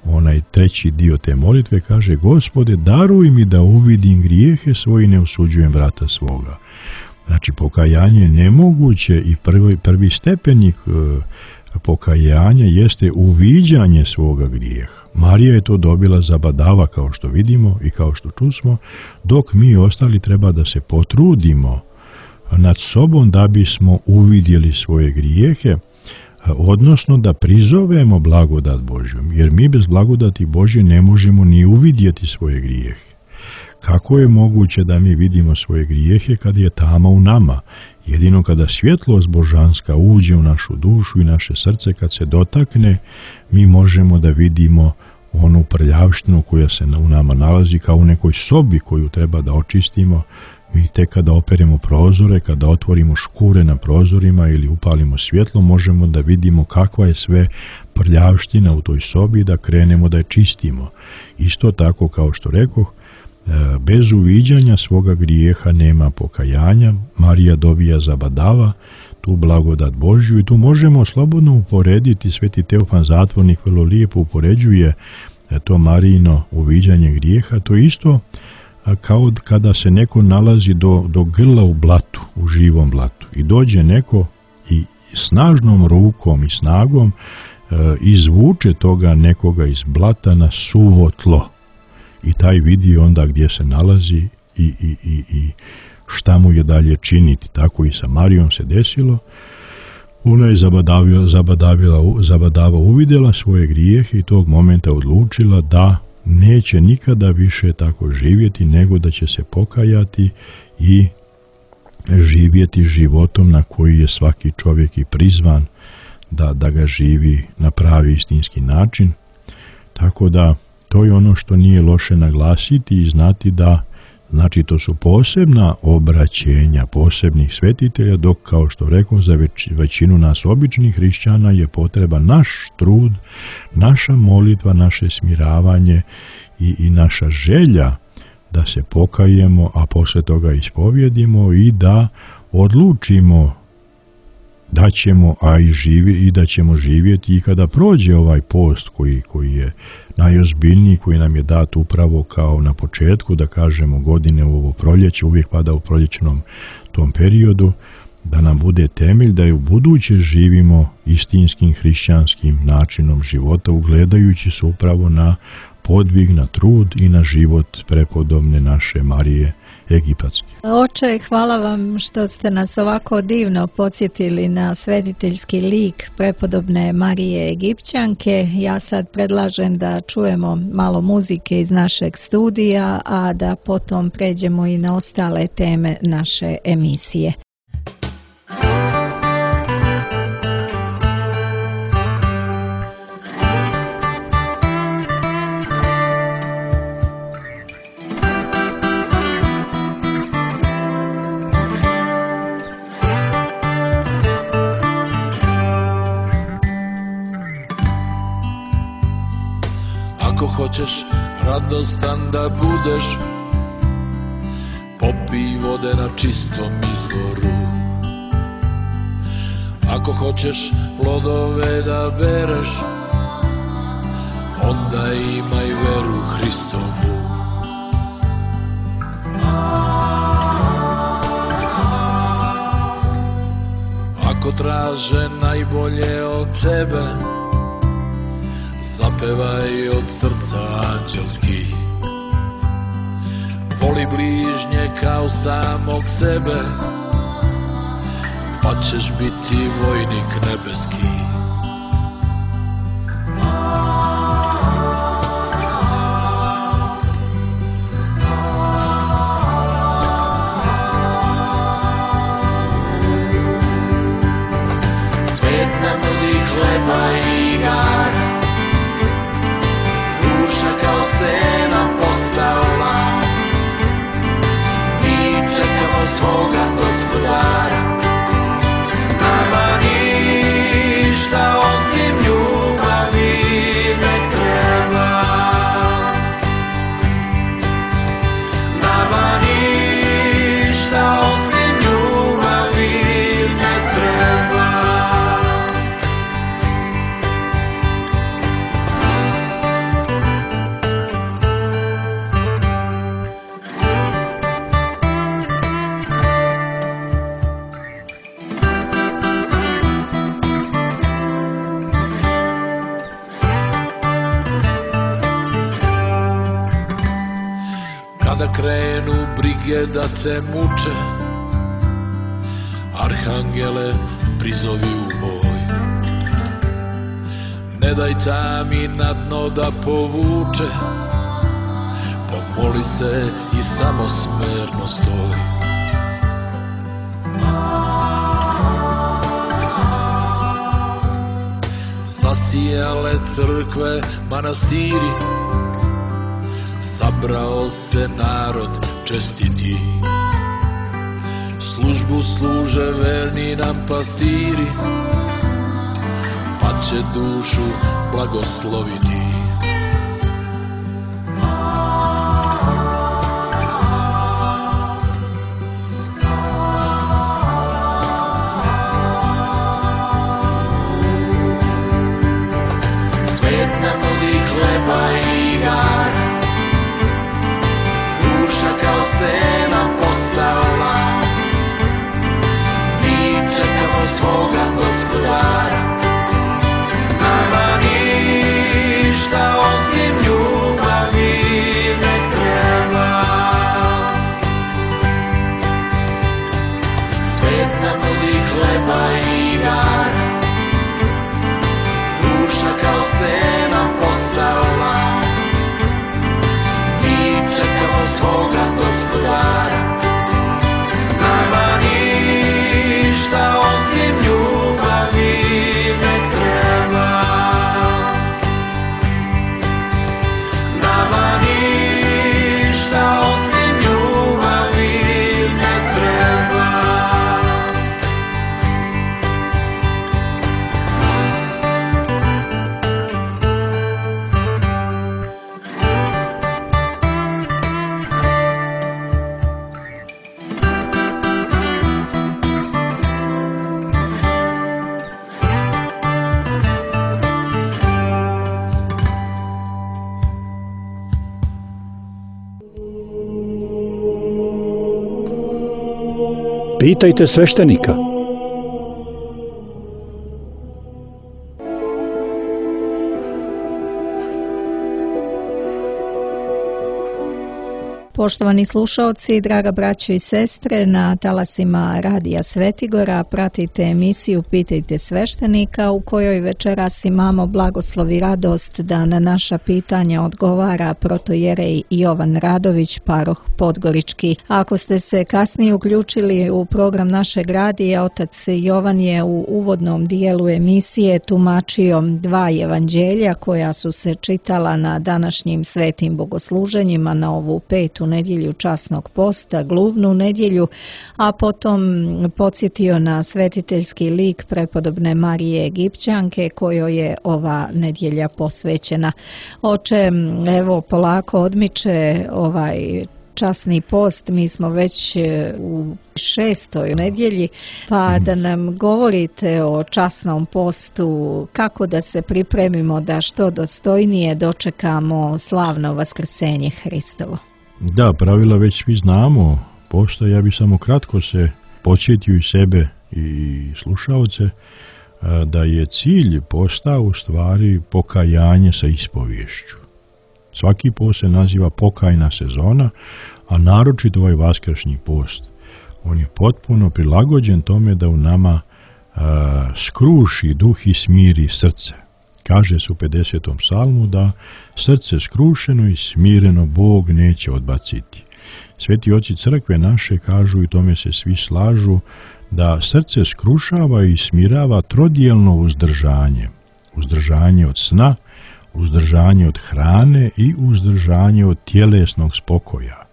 Speaker 8: onaj treći dio te molitve, kaže: Gospode, daruj mi da uvidim grijehe svoje i ne osuđujem vrata svoga. Znači, pokajanje je nemoguće i prvi stepenik pokajanja jeste uviđanje svoga grijeha. Marija je to dobila zabadava, kao što vidimo i kao što čusmo, dok mi ostali treba da se potrudimo nad sobom da bismo uvidjeli svoje grijehe, odnosno da prizovemo blagodat Božju, jer mi bez blagodati Božje ne možemo ni uvidjeti svoje grijehe. Kako je moguće da mi vidimo svoje grijehe kad je tama u nama? Jedino kada svjetlost božanska uđe u našu dušu i naše srce, kad se dotakne, mi možemo da vidimo onu prljavštinu koja se u nama nalazi, kao u nekoj sobi koju treba da očistimo. Mi tek kada operemo prozore, kada otvorimo škure na prozorima ili upalimo svjetlo, možemo da vidimo kakva je sve prljavština u toj sobi, da krenemo da je čistimo. Isto tako, kao što rekoh, bez uviđanja svoga grijeha nema pokajanja. Marija dobija zabadava tu blagodat Božju i tu možemo slobodno uporediti. Sveti Teofan Zatvornik vrlo lijepo upoređuje to Marijino uviđanje grijeha. To isto kao kada se neko nalazi do grla u blatu, u živom blatu, i dođe neko i snažnom rukom i snagom izvuče toga nekoga iz blata na suvo tlo. I taj vidi onda gdje se nalazi i šta mu je dalje činiti. Tako i sa Marijom se desilo. Ona je zabadava uvidjela svoje grijehe i tog momenta odlučila da neće nikada više tako živjeti, nego da će se pokajati i živjeti životom na koji je svaki čovjek i prizvan da ga živi na pravi istinski način. Tako da to je ono što nije loše naglasiti i znati da, znači, to su posebna obraćenja posebnih svetitelja, dok, kao što rekao, za većinu nas običnih hrišćana je potreba naš trud, naša molitva, naše smiravanje i naša želja da se pokajemo, a poslije toga ispovjedimo i da odlučimo da ćemo, i da ćemo živjeti i kada prođe ovaj post koji je najozbiljniji, koji nam je dat upravo kao na početku, da kažemo, godine u ovo proljeće, uvijek pada u proljećnom tom periodu, da nam bude temelj da i u buduće živimo istinskim hrišćanskim načinom života, ugledajući se upravo na podvig, na trud i na život prepodobne naše Marije Egipatske.
Speaker 7: Oče, hvala vam što ste nas ovako divno podsjetili na svetiteljski lik prepodobne Marije Egipćanke. Ja sad predlažem da čujemo malo muzike iz našeg studija, a da potom pređemo i na ostale teme naše emisije.
Speaker 6: Ako hoćeš radostan da budeš, popij vode na čistom izvoru. Ako hoćeš plodove da bereš, onda imaj veru Hristovu. Ako traže najbolje od tebe, zapevaj od srca anđelski. Voli bližnje kao samog sebe, pa ćeš biti vojnik nebeski. Svet nam nudi hleba i igara, duša kao stena postala. Mi čekamo svoga Gospodara, nama ništa osim ljubavi ne treba. Nama ništa osim ljubavi ne treba. Kada krenu brige da te muče, arhangele prizovi u boj. Ne daj tami na dno da povuče, pomoli se i samo smerno stoj. Zasijale crkve, manastiri, sabrao se narod čestiti. Službu služe verni nam pastiri, pa će dušu blagosloviti. Svet nam nudi hleba i igara, duša kao stena postala. Mi čekamo svoga Gospodara, nama ništa osim ljubavi ne treba. Svet nam nudi hleba i igara, duša kao stena postala. Mi čekamo svoga Gospodara, nama ništa osim ljubavi ne treba. Nama ništa osim ljubavi ne treba.
Speaker 9: Pitajte sveštenika.
Speaker 7: Poštovani slušaoci, draga braćo i sestre, na talasima Radija Svetigora pratite emisiju Pitajte sveštenika, u kojoj večeras imamo blagoslov i radost da na naša pitanja odgovara protojerej Jovan Radović, paroh Podgorički. Ako ste se kasnije uključili u program našeg radija, otac Jovan je u uvodnom dijelu emisije tumačio dva evanđelja koja su se čitala na današnjim svetim bogosluženjima na ovu petu nedjelju časnog posta, gluvnu nedjelju, a potom podsjetio na svetiteljski lik prepodobne Marije Egipćanke kojoj je ova nedjelja posvećena. Oče, evo polako odmiče ovaj časni post, mi smo već u 6. nedjelji, pa da nam govorite o časnom postu, kako da se pripremimo da što dostojnije dočekamo slavno vaskrsenje Hristovo.
Speaker 8: Da, pravila već svi znamo posta, ja bih samo kratko se podsjetio i sebe i slušaoce da je cilj posta u stvari pokajanje sa ispovješću. Svaki post se naziva pokajna sezona, a naročito ovaj vaskršnji post. On je potpuno prilagođen tome da u nama skruši duh i smiri srce. Kaže se u 50. psalmu da srce skrušeno i smireno Bog neće odbaciti. Sveti oci crkve naše kažu, i tome se svi slažu, da srce skrušava i smirava trodijelno uzdržanje. Uzdržanje od sna, uzdržanje od hrane i uzdržanje od tjelesnog spokoja.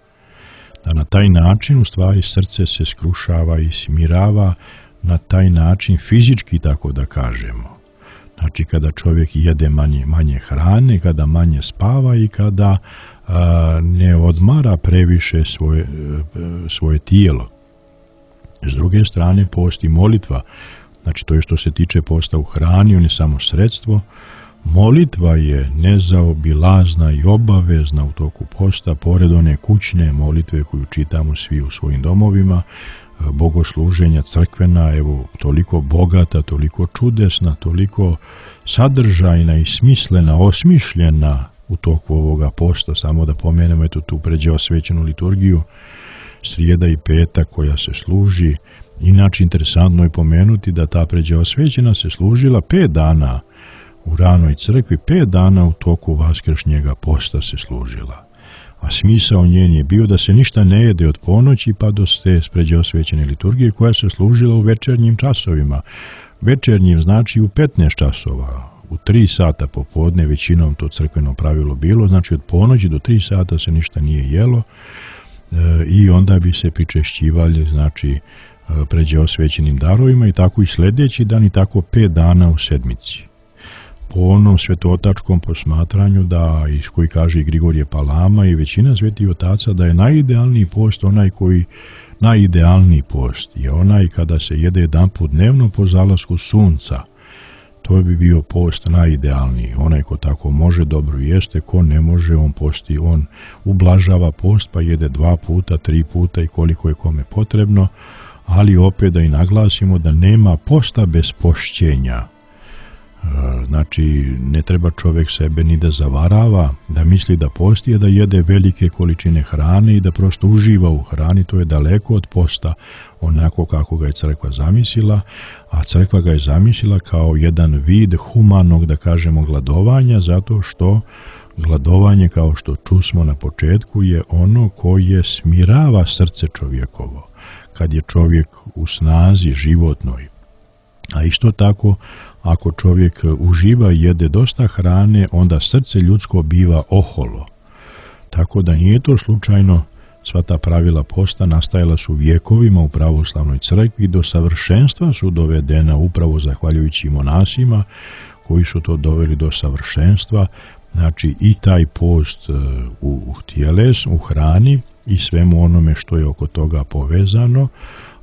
Speaker 8: Da na taj način u stvari srce se skrušava i smirava na taj način fizički, tako da kažemo. Znači kada čovjek jede manje hrane, kada manje spava i kada ne odmara previše svoje tijelo. S druge strane, post i molitva, znači to je što se tiče posta u hrani, on je samo sredstvo. Molitva je nezaobilazna i obavezna u toku posta, pored one kućne molitve koju čitamo svi u svojim domovima, bogosluženja crkvena, evo, toliko bogata, toliko čudesna, toliko sadržajna i smislena, osmišljena u toku ovoga posta. Samo da pomenemo eto tu pređeosvećenu liturgiju, srijeda i petak koja se služi. Inače, interesantno je pomenuti da ta pređeosvećena se služila 5 dana u ranoj crkvi, 5 dana u toku vaskršnjega posta se služila. A smisao njen je bio da se ništa ne jede od ponoći pa do te pređeosvećene liturgije koja se služila u večernjim časovima. Večernjim znači u 15 časova, u 3 sata popodne, većinom to crkveno pravilo bilo, znači od ponoći do 3 sata se ništa nije jelo i onda bi se pričešćivali, znači, pređeosvećenim darovima i tako i sljedeći dan i tako 5 dana u sedmici. Po onom svetotačkom posmatranju da, koji kaže i Grigorije Palama i većina svetih otaca, da je najidealniji post najidealniji post je onaj kada se jede jedanput dnevno po zalasku sunca. To bi bio post najidealniji. Onaj ko tako može, dobro jeste, ko ne može, on posti, on ublažava post pa jede 2 puta, 3 puta i koliko je kome potrebno, ali opet da i naglasimo da nema posta bez pošćenja. Znači, ne treba čovjek sebe ni da zavarava, da misli da posti, je da jede velike količine hrane i da prosto uživa u hrani. To je daleko od posta onako kako ga je crkva zamislila, a crkva ga je zamislila kao jedan vid humanog, da kažemo, gladovanja, zato što gladovanje, kao što čusmo na početku, je ono koje smirava srce čovjekovo, kad je čovjek u snazi životnoj. A isto tako, ako čovjek uživa i jede dosta hrane, onda srce ljudsko biva oholo. Tako da nije to slučajno, sva ta pravila posta nastajala su vjekovima u pravoslavnoj crkvi, do savršenstva su dovedena upravo zahvaljujući monasima koji su to doveli do savršenstva. Znači i taj post u hrani i svemu onome što je oko toga povezano,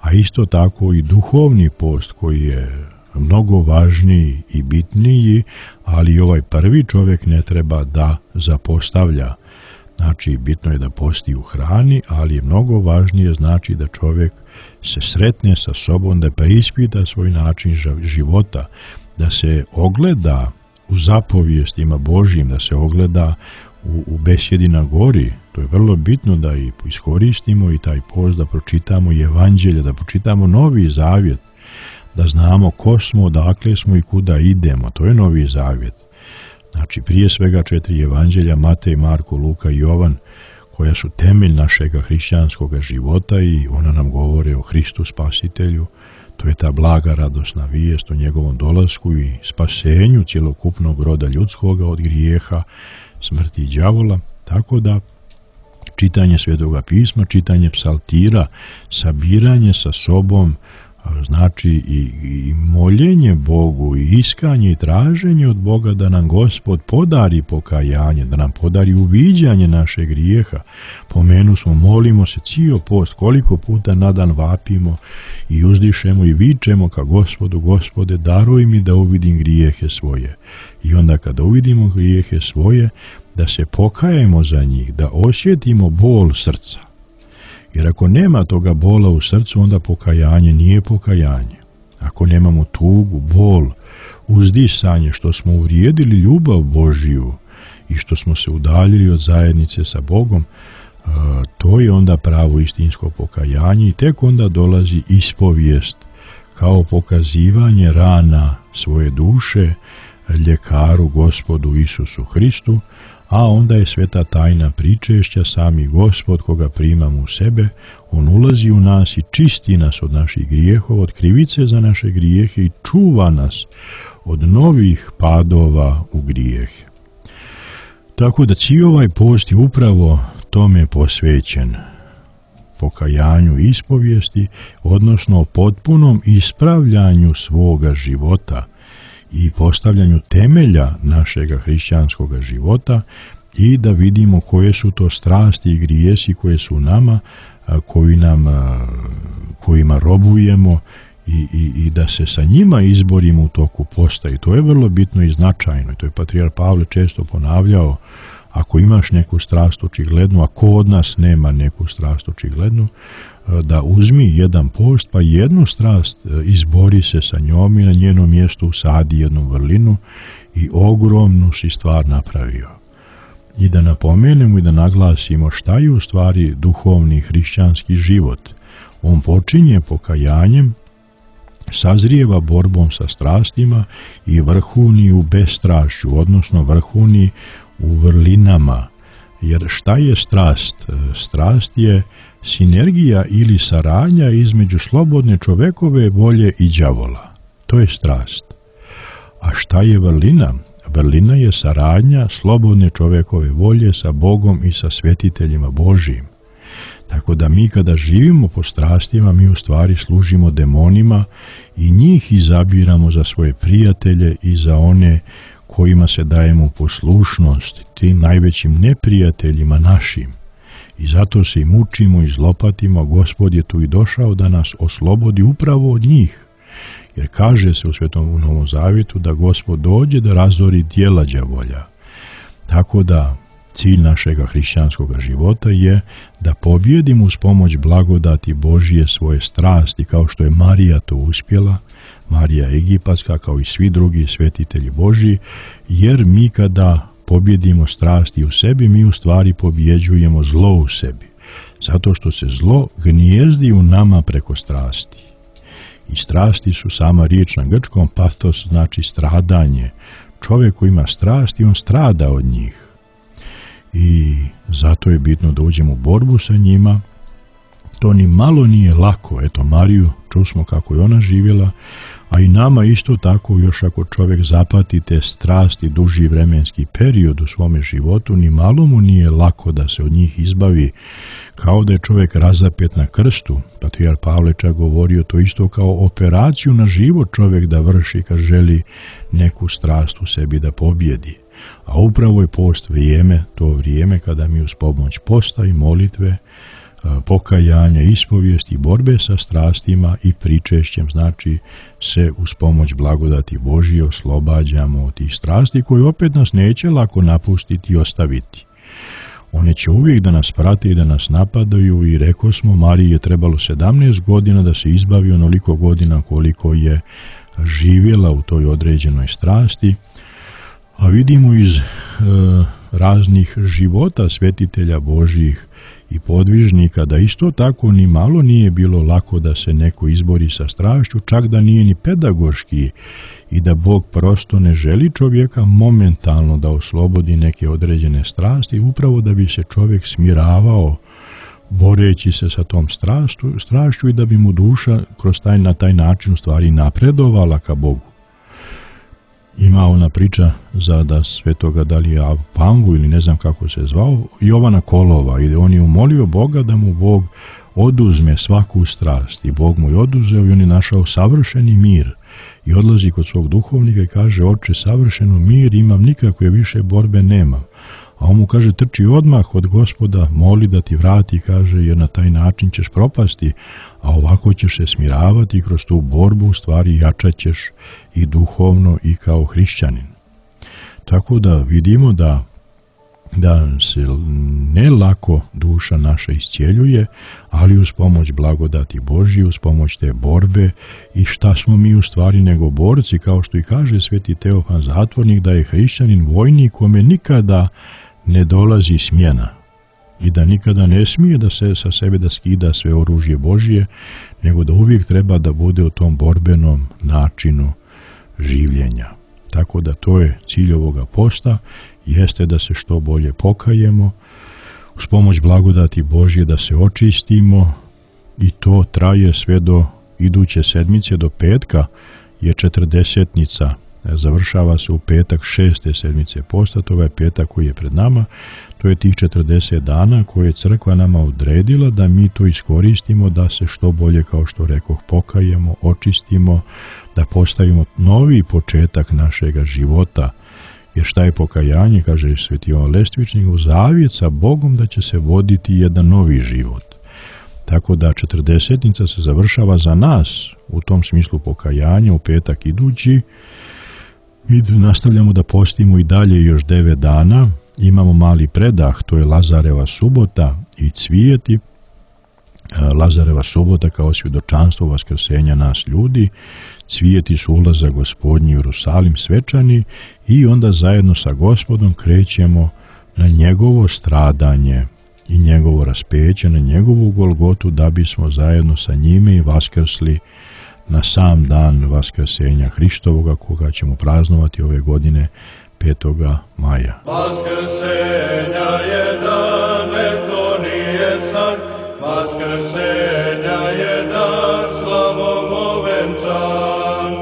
Speaker 8: a isto tako i duhovni post koji je mnogo važniji i bitniji, ali ovaj prvi čovjek ne treba da zapostavlja. Znači, bitno je da posti u hrani, ali je mnogo važnije znači da čovjek se sretne sa sobom, da preispita svoj način života, da se ogleda u zapovijestima Božjim, da se ogleda u besjedi na gori. To je vrlo bitno da i iskoristimo i taj post, da pročitamo i evanđelje, da pročitamo Novi Zavjet, da znamo ko smo, odakle smo i kuda idemo. To je Novi Zavjet. Znači, prije svega 4 evanđelja, Matej, Marko, Luka i Jovan, koja su temelj našega hrišćanskog života i ona nam govore o Hristu Spasitelju. To je ta blaga radosna vijest o njegovom dolasku i spasenju cjelokupnog roda ljudskoga od grijeha, smrti i đavola. Tako da čitanje Svetoga pisma, čitanje psaltira, sabiranje sa sobom, znači i moljenje Bogu i iskanje i traženje od Boga da nam Gospod podari pokajanje, da nam podari uviđanje našeg grijeha. Pomenu smo, molimo se cijel post, koliko puta na dan vapimo i uzdišemo i vičemo ka Gospodu: Gospode, daruj mi da uvidim grijehe svoje. I onda kada uvidimo grijehe svoje, da se pokajemo za njih, da osjetimo bol srca. Jer ako nema toga bola u srcu, onda pokajanje nije pokajanje. Ako nemamo tugu, bol, uzdisanje što smo uvrijedili ljubav Božiju i što smo se udaljili od zajednice sa Bogom, to je onda pravo istinsko pokajanje i tek onda dolazi ispovijest kao pokazivanje rana svoje duše ljekaru Gospodu Isusu Hristu, a onda je sveta tajna pričešća, sami Gospod koga primamo u sebe, on ulazi u nas i čisti nas od naših grijehova, od krivice za naše grijehe i čuva nas od novih padova u grijehe. Tako da cijel ovaj post je upravo tome posvećen, pokajanju i ispovijesti, odnosno potpunom ispravljanju svoga života i postavljanju temelja našega hrišćanskog života i da vidimo koje su to strasti i grijesi koje su nama, kojima robujemo i da se sa njima izborimo u toku posta. I to je vrlo bitno i značajno. I to je patrijarh Pavle često ponavljao: ako imaš neku strast očiglednu, a ko od nas nema neku strast očiglednu, da uzmi jedan post pa jednu strast izbori se sa njom i na njenom mjestu usadi jednu vrlinu i ogromnu si stvar napravio. I da napomenemo i da naglasimo šta je u stvari duhovni hrišćanski život. On počinje pokajanjem, sazrijeva borbom sa strastima i vrhuni u bestrašću, odnosno vrhuni u vrlinama. Jer šta je strast? Strast je sinergija ili saradnja između slobodne čovekove volje i đavola. To je strast. A šta je vrlina? Vrlina je saradnja slobodne čovekove volje sa Bogom i sa svetiteljima Božijim. Tako da mi kada živimo po strastima, mi u stvari služimo demonima i njih izabiramo za svoje prijatelje i za one kojima se dajemo poslušnost, tim najvećim neprijateljima našim. I zato se i mučimo i zlopatimo. Gospod je tu i došao da nas oslobodi upravo od njih. Jer kaže se u Svetom Novom Zavjetu da Gospod dođe da razori djela đavolja. Tako da cilj našega hrišćanskog života je da pobjedimo uz pomoć blagodati Božije svoje strasti, kao što je Marija to uspjela, Marija Egipatska, kao i svi drugi svetitelji Božji, jer mi kada pobjedimo strasti u sebi, mi u stvari pobjeđujemo zlo u sebi. Zato što se zlo gnijezdi u nama preko strasti. I strasti su sama riječ na grčkom pathos, znači stradanje. Čovjek koji ima strasti, on strada od njih. I zato je bitno da uđemo u borbu sa njima. To ni malo nije lako. Eto, Mariju, čusmo kako je ona živjela, a i nama isto tako, još ako čovjek zapati te strasti duži vremenski period u svome životu, ni malo mu nije lako da se od njih izbavi, kao da je čovjek razapet na krstu. Patrijarh Pavle čak govorio to isto kao operaciju na život čovjek da vrši kad želi neku strast u sebi da pobjedi. A upravo je post vrijeme, to vrijeme kada mi uz pomoć posta i molitve, pokajanja, ispovijesti, borbe sa strastima i pričešćem, znači se uz pomoć blagodati Božije oslobađamo od tih strasti koje opet nas neće lako napustiti i ostaviti. One će uvijek da nas prate i da nas napadaju i rekao smo, Mariji je trebalo 17 godina da se izbavi onoliko godina koliko je živjela u toj određenoj strasti, a vidimo iz raznih života svetitelja Božjih i podvižnika da isto tako ni malo nije bilo lako da se neko izbori sa strašću, čak da nije ni pedagoški i da Bog prosto ne želi čovjeka momentalno da oslobodi neke određene strasti, upravo da bi se čovjek smiravao boreći se sa tom strašću i da bi mu duša na taj način u stvari napredovala ka Bogu. Ima ona priča da svetoga da li je Panvu ili ne znam kako se zvao, Jovana Kolova, i on je umolio Boga da mu Bog oduzme svaku strast i Bog mu je oduzeo i on je našao savršeni mir i odlazi kod svog duhovnika i kaže, oče, savršeno mir imam, nikakve više borbe nemam. A on mu kaže, trči odmah od Gospoda, moli da ti vrati, kaže, jer na taj način ćeš propasti, a ovako ćeš se smiravati i kroz tu borbu u stvari jačat ćeš i duhovno i kao hrišćanin. Tako da vidimo da se ne lako duša naša iscijeljuje, ali uz pomoć blagodati Božje, uz pomoć te borbe. I šta smo mi u stvari nego borci, kao što i kaže sveti Teofan Zatvornik, da je hrišćanin vojnik kome nikada ne dolazi smjena i da nikada ne smije da se sa sebe da skida sve oružje Božje, nego da uvijek treba da bude u tom borbenom načinu življenja. Tako da to je cilj ovoga posta, jeste da se što bolje pokajemo, uz pomoć blagodati Božje da se očistimo, i to traje sve do iduće sedmice, do petka je 40-nica, završava se u petak 6. sedmice posta, to je petak koji je pred nama, to je tih 40 dana koje je crkva nama odredila da mi to iskoristimo, da se što bolje, kao što rekoh, pokajemo, očistimo, da postavimo novi početak našega života. Jer šta je pokajanje, kaže sveti Jovan Lestvičnik, u zavjet sa Bogom da će se voditi jedan novi život. Tako da 40-nica se završava za nas u tom smislu pokajanja u petak idući. Mi nastavljamo da postimo i dalje još 9 dana. Imamo mali predah, to je Lazareva subota i cvijeti. Lazareva subota kao svjedočanstvo vaskrsenja nas ljudi, cvijeti su ulazak Gospodnji u Jerusalim svečani, i onda zajedno sa Gospodom krećemo na njegovo stradanje i njegovo raspeće, na njegovu Golgotu, da bismo zajedno sa njime i vaskrsli na sam dan vaskrsenja Hristovoga, koga ćemo praznovati ove godine 5. maja.
Speaker 6: Vaskrsenja je dan, to nije san, vaskrsenja je dan, slavom ovenčan.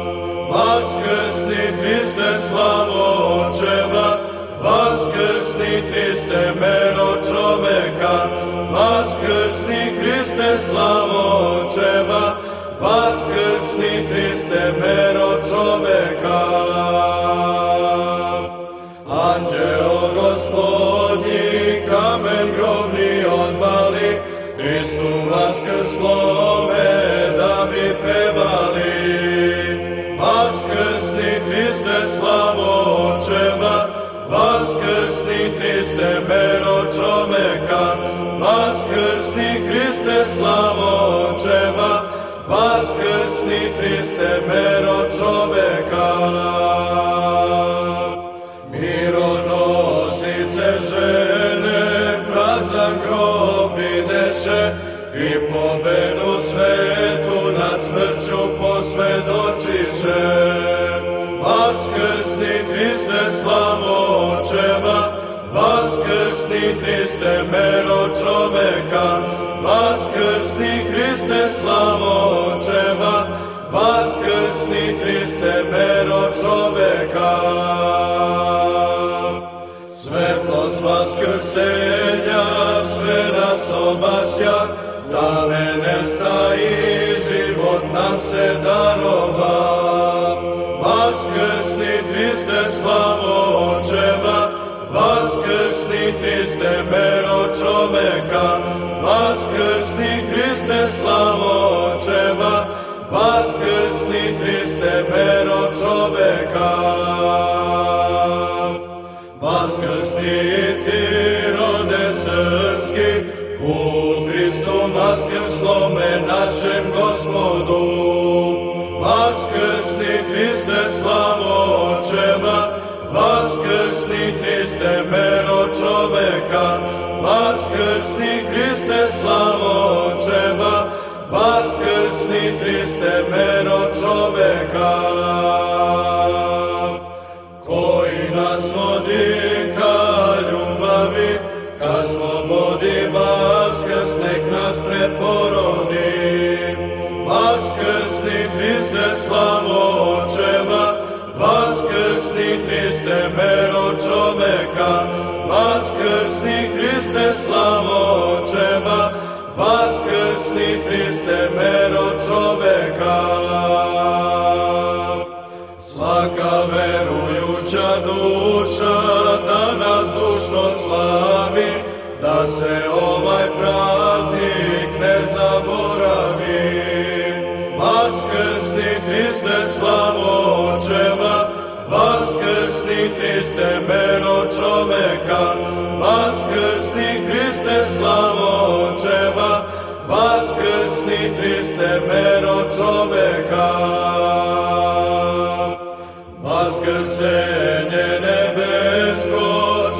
Speaker 6: Vaskrsni Hriste, slavo očeva, vaskrsni Hriste, mero čoveka, vaskrsni Hriste, slavo očeva, vaskrsni Hriste, mero čoveka. Anđeo Gospodnji kamen grobni odvali, Hristu vaskrslome da bi pevali. Vaskrsni Hriste, slavo očeva, vaskrsni Hriste, mero čoveka, vaskrsni Hriste, slavo očeva, vaskrsni Hriste, mero čoveka. Mironosice žene prazan grob videše i pobedu svetu nad smrću posvjedočiše. Vaskrsni Hriste, slavo očeva, vaskrsni Hriste, mero čoveka, vaskrsni Hriste, slavo očeva, vaskrsni Hriste, mero čoveka. Svetlost vaskrsenja sve nas obasja, da ne nestaji, život nam se darova. Vaskrsni Hriste, slavo očeva, vaskrsni Hriste, mero čoveka, vaskrsni Hriste, slavo očeva, vaskrsni Hriste, mero čoveka. Vaskrsni ti, rode se
Speaker 9: u Hristu vaskrslome našem Gospodu. Vaskrsni Hriste, slavo očeva, vaskrsni Hriste, mero čoveka, vaskrsni Hriste, slavo očeva, vaskrsni Hriste, mero čoveka. Koji nas vodi ka ljubavi, ka slobodi, vaskrs nek nas preporodi. Vaskrsni Hriste, slavo očeva, vaskrsni Hriste, mero čoveka, vaskrsni Hriste, slavo očeva, vaskrsni Hriste, mero čoveka. Svaka verujuća duša danas dušno slavi, da se ovaj praznik ne zaboravi. Vaskrsni Hriste, slavo očeva, vaskrsni Hriste, mero čoveka, vaskrsni Hriste, slavo očeva, vaskrsni Hriste, mero čoveka. Vaskrsenje nebesko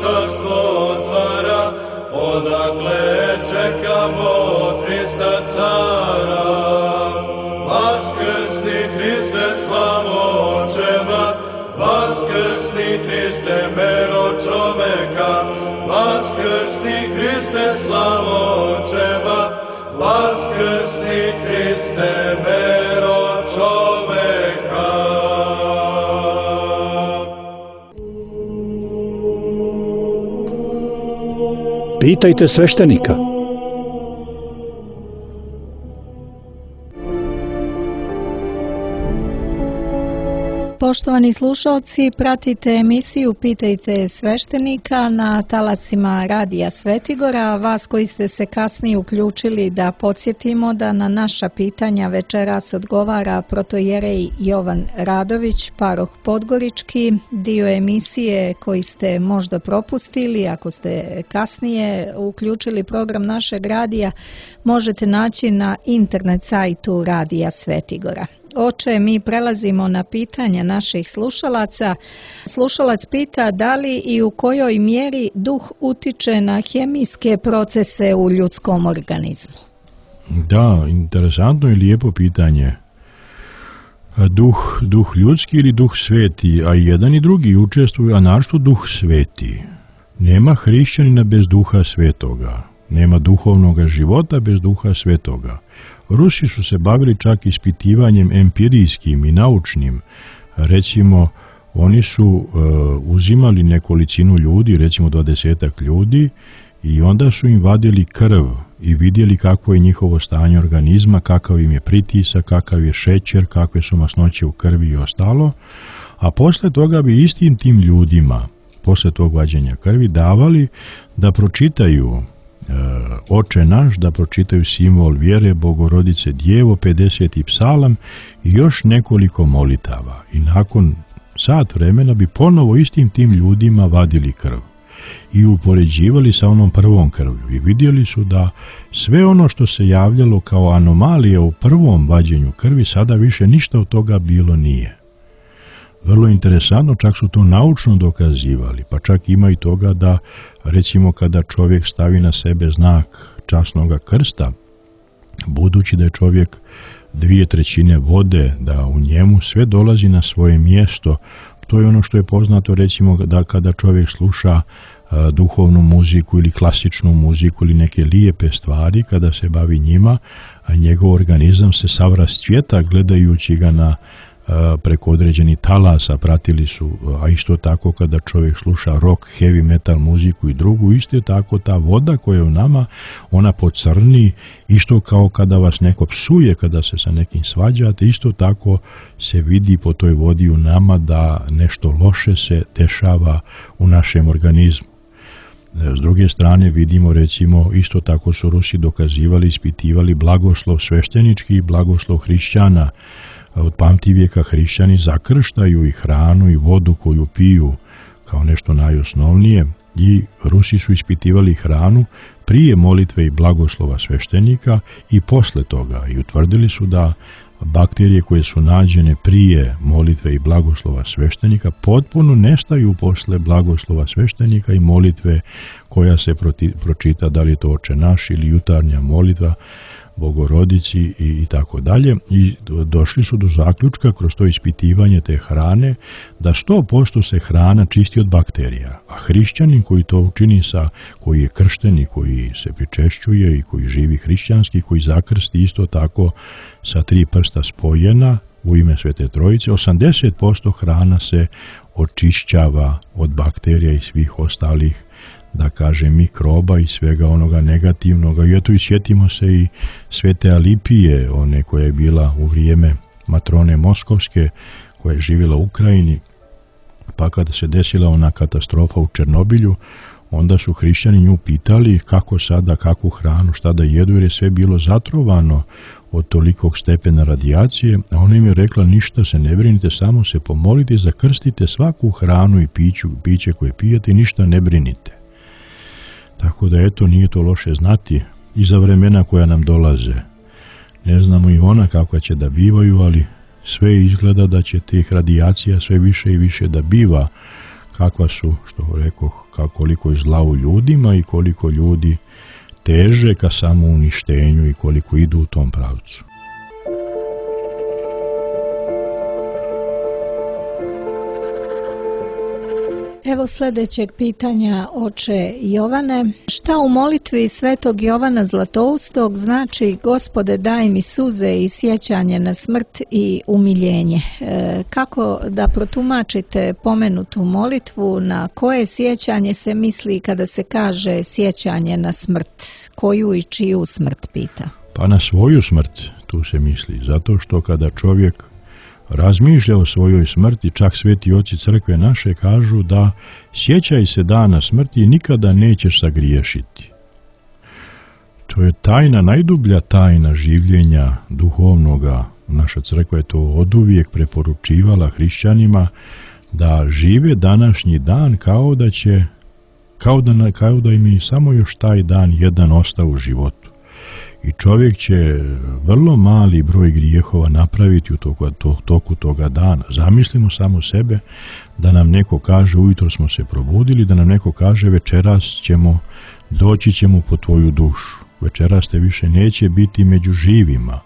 Speaker 9: carstvo otvara, odakle čekamo Hrista cara. Vaskrsni Hriste, slavo očeva, vaskrsni Hriste, mero čoveka, vaskrsni Hriste, slavo očeva, vaskrsni Hriste, mero čoveka.
Speaker 3: Pitajte sveštenika.
Speaker 7: Poštovani slušalci, pratite emisiju Pitajte sveštenika na talasima Radija Svetigora. Vas koji ste se kasnije uključili, da podsjetimo da na naša pitanja večeras odgovara protojerej Jovan Radović, paroh Podgorički. Dio emisije koji ste možda propustili, ako ste kasnije uključili program našeg radija, možete naći na internet sajtu Radija Svetigora. Oče, mi prelazimo na pitanja naših slušalaca. Slušalac pita da li i u kojoj mjeri duh utiče na hemijske procese u ljudskom organizmu.
Speaker 8: Da, interesantno i lijepo pitanje. Duh ljudski ili duh sveti, a jedan i drugi učestvuju, a našto duh sveti. Nema hrišćanina bez duha svetoga. Nema duhovnog života bez duha svetoga. Rusi su se bavili čak ispitivanjem empirijskim i naučnim. Recimo, oni su uzimali nekolicinu ljudi, recimo 20 ljudi, i onda su im vadili krv i vidjeli kakvo je njihovo stanje organizma, kakav im je pritisak, kakav je šećer, kakve su masnoće u krvi i ostalo, a posle toga bi istim tim ljudima, posle tog vađenja krvi, davali da pročitaju Oče naš, da pročitaju simbol vjere, Bogorodice Djevo, 50. psalam i još nekoliko molitava. I nakon sat vremena bi ponovo istim tim ljudima vadili krv i upoređivali sa onom prvom krvlju i vidjeli su da sve ono što se javljalo kao anomalije u prvom vađenju krvi, sada više ništa od toga bilo nije. Vrlo interesantno, čak su to naučno dokazivali, pa čak ima i toga da, recimo, kada čovjek stavi na sebe znak časnoga krsta, budući da je čovjek 2/3 vode, da u njemu sve dolazi na svoje mjesto. To je ono što je poznato, recimo, da kada čovjek sluša duhovnu muziku ili klasičnu muziku ili neke lijepe stvari, kada se bavi njima, a njegov organizam se sav rascvjeta gledajući ga na preko određenih talasa, pratili su, a isto tako kada čovjek sluša rock, heavy metal muziku i drugu, isto tako ta voda koja je u nama, ona pocrni, isto kao kada vas neko psuje, kada se sa nekim svađate, isto tako se vidi po toj vodi u nama da nešto loše se dešava u našem organizmu. S druge strane vidimo, recimo, isto tako su Rusi dokazivali, ispitivali blagoslov sveštenički i blagoslov hrišćana. Od pamtivijeka hrišćani zakrštaju i hranu i vodu koju piju kao nešto najosnovnije, i Rusi su ispitivali hranu prije molitve i blagoslova sveštenika i posle toga i utvrdili su da bakterije koje su nađene prije molitve i blagoslova sveštenika potpuno nestaju posle blagoslova sveštenika i molitve koja se pročita, da li je to Oče naš ili jutarnja molitva Bogorodici i tako dalje. I došli su do zaključka kroz to ispitivanje te hrane da 100% se hrana čisti od bakterija, a hrišćanin koji to učini koji je kršten i koji se pričešćuje i koji živi hrišćanski, koji zakrsti isto tako sa 3 prsta spojena u ime Svete Trojice, 80% hrana se očišćava od bakterija i svih ostalih, da kaže, mikroba i svega onoga negativnoga. I eto, sjetimo se i Svete Alipije, one koja je bila u vrijeme matrone Moskovske, koja je živjela u Ukrajini, pa kada se desila ona katastrofa u Černobilju, onda su hrišćani nju pitali kako sada, kakvu hranu, šta da jedu, jer je sve bilo zatrovano od tolikog stepena radijacije, a ona im je rekla: ništa se ne brinite, samo se pomolite, zakrstite svaku hranu i piće koje pijete i ništa ne brinite. Tako da eto, nije to loše znati i za vremena koja nam dolaze. Ne znamo i ona kakva će da bivaju, ali sve izgleda da će tih radijacija sve više i više da biva, kakva su, što rekoh, koliko je zla u ljudima i koliko ljudi teže ka samouništenju i koliko idu u tom pravcu.
Speaker 7: Evo sljedećeg pitanja, oče Jovane. Šta u molitvi svetog Jovana Zlatoustog znači: Gospode, daj mi suze i sjećanje na smrt i umiljenje? Kako da protumačite pomenutu molitvu? Na koje sjećanje se misli kada se kaže sjećanje na smrt? Koju i čiju smrt, pita?
Speaker 8: Pa na svoju smrt tu se misli, zato što kada čovjek razmišlja o svojoj smrti, čak sveti oci crkve naše kažu da sjećaj se dana smrti i nikada nećeš sagriješiti. To je tajna, najdublja tajna življenja duhovnoga. Naša crkva je to oduvijek preporučivala hrišćanima, da žive današnji dan kao da im je samo još taj dan jedan ostao u životu. I čovjek će vrlo mali broj grijehova napraviti u toku toga dana. Zamislimo samo sebe da nam neko kaže: ujutro smo se probudili, da nam neko kaže: večeras doći ćemo po tvoju dušu. Večeras te više neće biti među živima.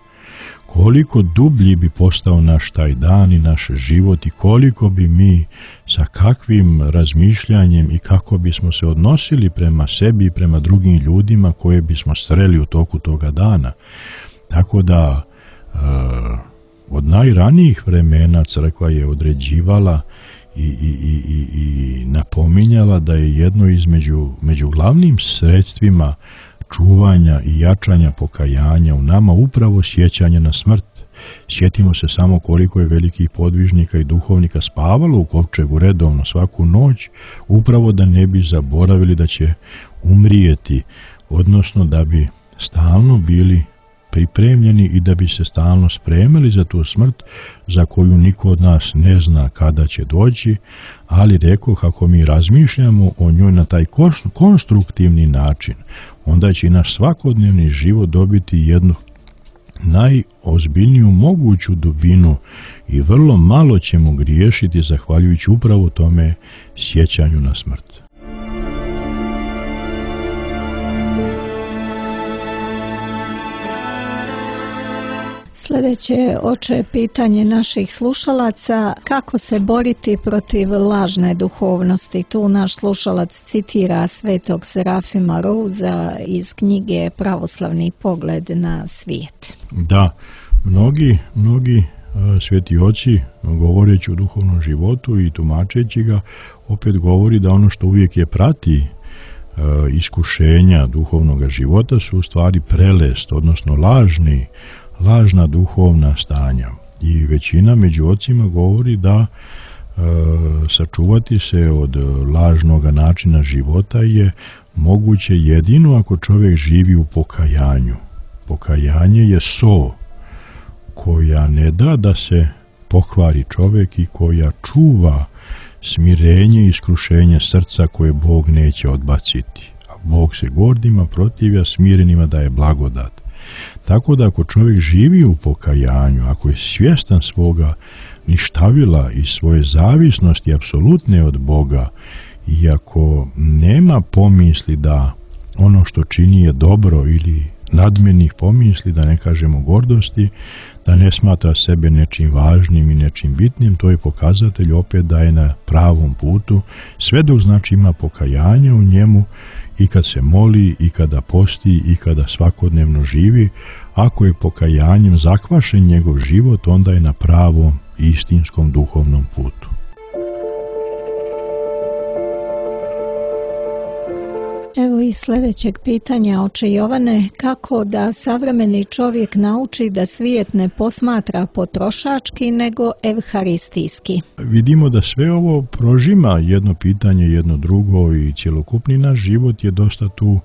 Speaker 8: Koliko dublji bi postao naš taj dan i naš život i koliko bi mi sa kakvim razmišljanjem i kako bismo se odnosili prema sebi i prema drugim ljudima koje bismo sreli u toku toga dana. Tako da od najranijih vremena crkva je određivala i napominjala da je jedno među glavnim sredstvima čuvanja i jačanja pokajanja u nama upravo sjećanje na smrt. Sjetimo se samo koliko je velikih podvižnika i duhovnika spavalo u kovčegu redovno svaku noć, upravo da ne bi zaboravili da će umrijeti, odnosno da bi stalno bili pripremljeni i da bi se stalno spremili za tu smrt za koju niko od nas ne zna kada će doći, ali rekoh, ako mi razmišljamo o njoj na taj konstruktivni način, onda će i naš svakodnevni život dobiti jednu najozbiljniju moguću dubinu i vrlo malo ćemo griješiti zahvaljujući upravo tome sjećanju na smrt.
Speaker 7: Sljedeće, oče, pitanje naših slušalaca: kako se boriti protiv lažne duhovnosti? Tu naš slušalac citira svetog Serafima Rouza iz knjige Pravoslavni pogled na svijet.
Speaker 8: Da, mnogi sveti oci, govoreći o duhovnom životu i tumačeći ga, opet govori da ono što uvijek je prati iskušenja duhovnog života su u stvari prelest, odnosno lažna duhovna stanja. I većina među ocima govori da sačuvati se od lažnog načina života je moguće jedino ako čovjek živi u pokajanju. Pokajanje je so koja ne da se pokvari čovjek i koja čuva smirenje i iskrušenje srca koje Bog neće odbaciti. A Bog se gordima protivlja, smirenima daje blagodat. Tako da ako čovjek živi u pokajanju, ako je svjestan svoga ništavila i svoje zavisnosti apsolutne od Boga, i ako nema pomisli da ono što čini je dobro ili nadmenih pomisli, da ne kažemo gordosti, da ne smatra sebe nečim važnim i nečim bitnim, to je pokazatelj opet da je na pravom putu, sve dok znači ima pokajanje u njemu i kad se moli, i kada posti, i kada svakodnevno živi. Ako je pokajanjem zakvašen njegov život, onda je na pravom istinskom duhovnom putu.
Speaker 7: Evo i sljedećeg pitanja, oče Jovane, kako da savremeni čovjek nauči da svijet ne posmatra potrošački nego evharistijski?
Speaker 8: Vidimo da sve ovo prožima jedno pitanje, jedno drugo, i cjelokupni naš život je dosta tu,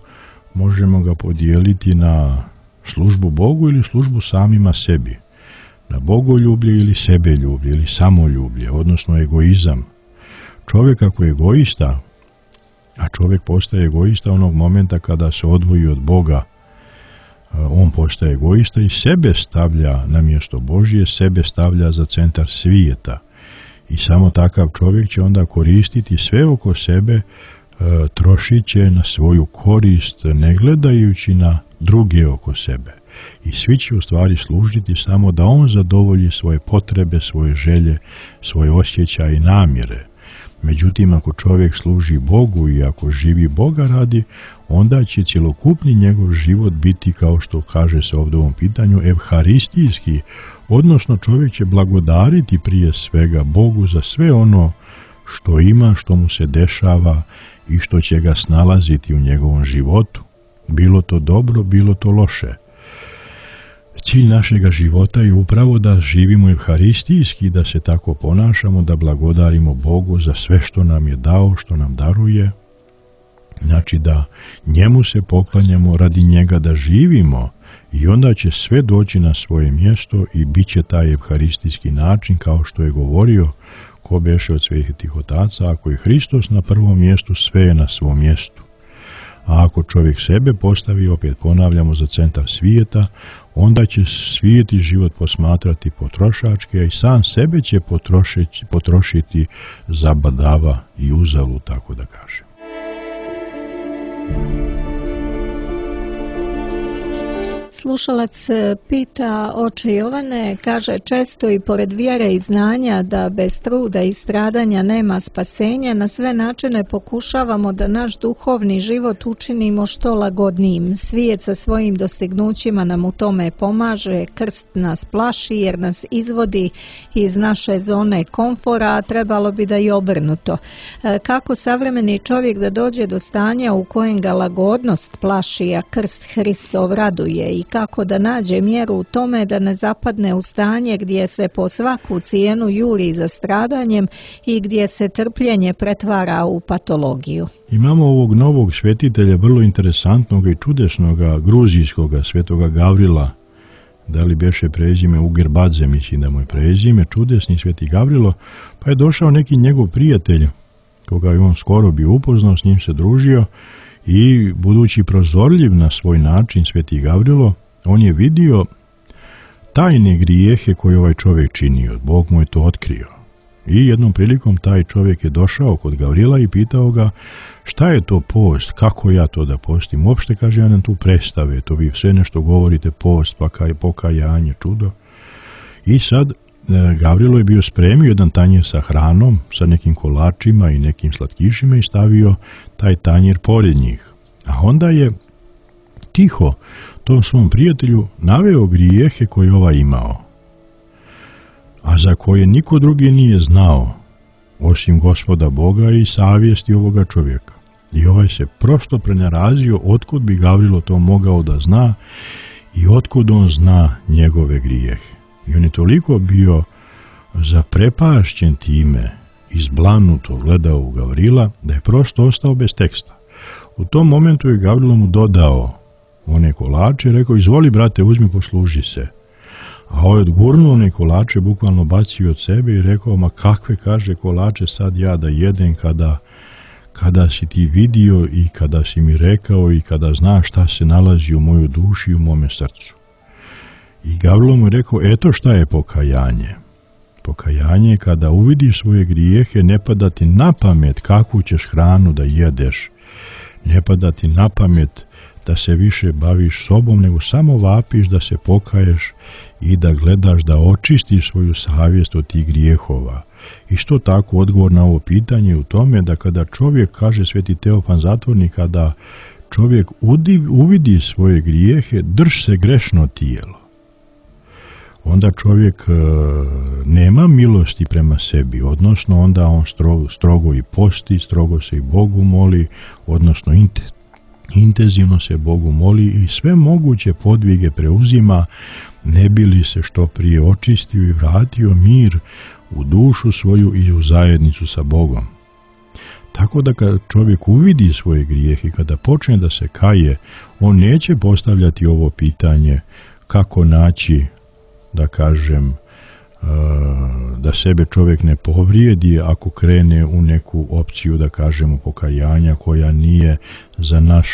Speaker 8: možemo ga podijeliti na službu Bogu ili službu samima sebi, na bogoljublje ili sebeljublje ili samoljublje, odnosno egoizam. Čovjek ako je egoista, a čovjek postaje egoista onog momenta kada se odvoji od Boga, on postaje egoista i sebe stavlja na mjesto Božje, sebe stavlja za centar svijeta. I samo takav čovjek će onda koristiti sve oko sebe, trošit će na svoju korist, ne gledajući na druge oko sebe. I svi će u stvari služiti samo da on zadovolji svoje potrebe, svoje želje, svoje osjećaje i namjere. Međutim, ako čovjek služi Bogu i ako živi Boga radi, onda će cjelokupni njegov život biti, kao što kaže se ovdje u ovom pitanju, evharistijski, odnosno čovjek će blagodariti prije svega Bogu za sve ono što ima, što mu se dešava i što će ga snalaziti u njegovom životu. Bilo to dobro, bilo to loše. Cilj našega života je upravo da živimo evharistijski, da se tako ponašamo, da blagodarimo Bogu za sve što nam je dao, što nam daruje. Znači da njemu se poklanjamo, radi njega da živimo, i onda će sve doći na svoje mjesto i bit će taj evharistijski način, kao što je govorio ko beše od svetih otaca, ako je Hristos na prvom mjestu, sve je na svom mjestu. A ako čovjek sebe postavi, opet ponavljamo, za centar svijeta, onda će svijet i život posmatrati potrošački, a i sam sebe će potrošiti za badava i uzalu, tako da kažem.
Speaker 7: Slušalac pita, oče Jovane, kaže, često i pored vjere i znanja da bez truda i stradanja nema spasenja, na sve načine pokušavamo da naš duhovni život učinimo što lagodnijim. Svijet sa svojim dostignućima nam u tome pomaže, krst nas plaši jer nas izvodi iz naše zone komfora, a trebalo bi da i obrnuto. Kako savremeni čovjek da dođe do stanja u kojem ga lagodnost plaši, a krst Hristov raduje, i kako da nađe mjeru u tome da ne zapadne u stanje gdje se po svaku cijenu juri za stradanjem i gdje se trpljenje pretvara u patologiju?
Speaker 8: Imamo ovog novog svetitelja, vrlo interesantnog i čudesnog gruzijskog svetoga Gavrila, da li beše prezime Ugerbadze, mislim da mu je prezime, čudesni sveti Gavrilo, pa je došao neki njegov prijatelj, koga je on skoro bio upoznao, s njim se družio, i budući prozorljiv na svoj način sveti Gavrilo, on je vidio tajne grijehe koje ovaj čovjek činio. Bog mu je to otkrio. I jednom prilikom taj čovjek je došao kod Gavrila i pitao ga šta je to post, kako ja to da postim. Uopšte, kaže, ja nam tu predstave, to vi sve nešto govorite, post, pokajanje, čudo. I sad Gavrilo je bio spremio jedan tanjer sa hranom, sa nekim kolačima i nekim slatkišima i stavio taj tanjer pored njih. A onda je tiho tom svom prijatelju naveo grijehe koje ovaj imao, a za koje niko drugi nije znao, osim Gospoda Boga i savjesti ovoga čovjeka. I ovaj se prosto prenarazio otkud bi Gavrilo to mogao da zna i otkud on zna njegove grijehe. I on je toliko bio zaprepašćen time, izblanuto gledao u Gavrila, da je prosto ostao bez teksta. U tom momentu je Gavrilo mu dodao one kolače, rekao, izvoli brate, uzmi, posluži se. A ovaj odgurnuo one kolače, bukvalno bacio od sebe i rekao, ma kakve, kaže, kolače sad ja da jedem kada si ti vidio i kada si mi rekao i kada znaš šta se nalazi u mojoj duši i u mome srcu. I Gavrilo mu je rekao, eto šta je pokajanje. Pokajanje je kada uvidiš svoje grijehe, ne pada ti na pamet kakvu ćeš hranu da jedeš, ne pada ti na pamet da se više baviš sobom, nego samo vapiš da se pokaješ i da gledaš da očistiš svoju savjest od tih grijehova. Isto tako odgovor na ovo pitanje u tome da kada čovjek, kaže Sveti Teofan Zatvornik, kada čovjek uvidi svoje grijehe, drž se grešno tijelo. Onda čovjek nema milosti prema sebi, odnosno onda on strogo i posti, strogo se i Bogu moli, odnosno intenzivno se Bogu moli i sve moguće podvige preuzima, ne bi li se što prije očistio i vratio mir u dušu svoju i u zajednicu sa Bogom. Tako da kad čovjek uvidi svoje grijehe i kada počne da se kaje, on neće postavljati ovo pitanje kako naći, da kažem, da sebe čovjek ne povrijedi ako krene u neku opciju, da kažemo, pokajanja koja nije za naš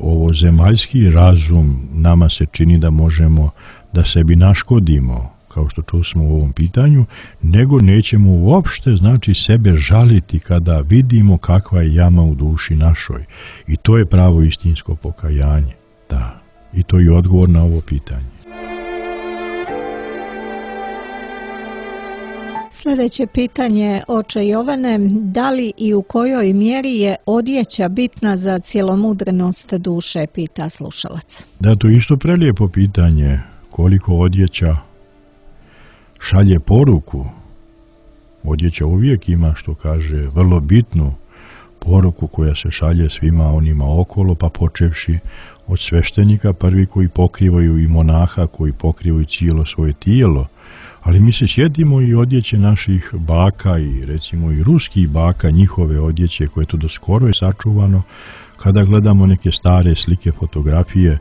Speaker 8: ovo zemaljski razum. Nama se čini da možemo da sebi naškodimo, kao što čusmo u ovom pitanju, nego nećemo uopšte, znači, sebe žaliti kada vidimo kakva je jama u duši našoj. I to je pravo istinsko pokajanje. Da. I to je odgovor na ovo pitanje.
Speaker 7: Sljedeće pitanje, oče Jovane, da li i u kojoj mjeri je odjeća bitna za cjelomudrenost duše, pita slušalac.
Speaker 8: Da, to je isto prelijepo pitanje, koliko odjeća šalje poruku. Odjeća uvijek ima, što kaže, vrlo bitnu poruku koja se šalje svima onima okolo, pa počevši od sveštenika prvi koji pokrivaju i monaha koji pokrivaju cijelo svoje tijelo. Ali mi se sjetimo i odjeće naših baka i recimo i ruskih baka, njihove odjeće koje to do skoro je sačuvano. Kada gledamo neke stare slike, fotografije,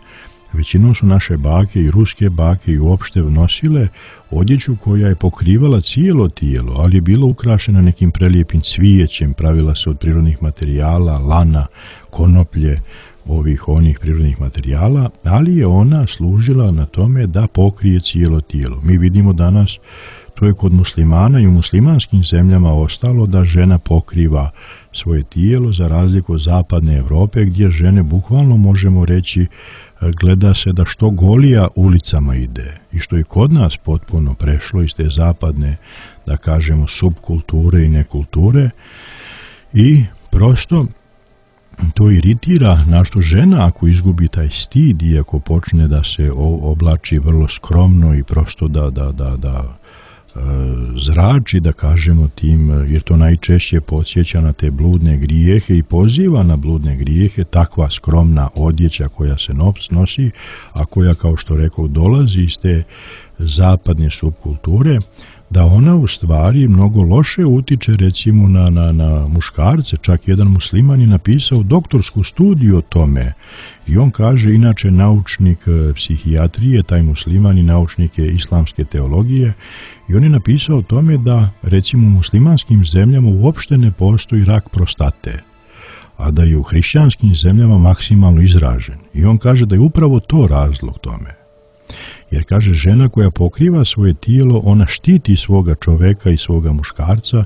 Speaker 8: većinom su naše bake i ruske bake i uopšte nosile odjeću koja je pokrivala cijelo tijelo, ali je bila ukrašena nekim prelijepim cvijećem, pravila se od prirodnih materijala, lana, konoplje, onih prirodnih materijala, ali je ona služila na tome da pokrije cijelo tijelo. Mi vidimo danas, to je kod muslimana i u muslimanskim zemljama ostalo, da žena pokriva svoje tijelo, za razliku od zapadne Europe, gdje žene, bukvalno možemo reći, gleda se da što golija ulicama ide. I što je kod nas potpuno prešlo iz te zapadne, da kažemo, subkulture i nekulture. I prosto to iritira našto žena ako izgubi taj stid i ako počne da se oblači vrlo skromno i prosto da zrači, da kažemo, tim, jer to najčešće podsjeća na te bludne grijehe i poziva na bludne grijehe, takva skromna odjeća koja se nosi, a koja, kao što rekao, dolazi iz te zapadne subkulture, da ona u stvari mnogo loše utiče recimo na muškarce. Čak jedan musliman je napisao doktorsku studiju o tome i on kaže, inače naučnik psihijatrije, taj musliman i naučnik je islamske teologije, i on je napisao o tome da recimo u muslimanskim zemljama uopšte ne postoji rak prostate, a da je u hrišćanskim zemljama maksimalno izražen. I on kaže da je upravo to razlog tome. Jer, kaže, žena koja pokriva svoje tijelo, ona štiti svoga čoveka i svoga muškarca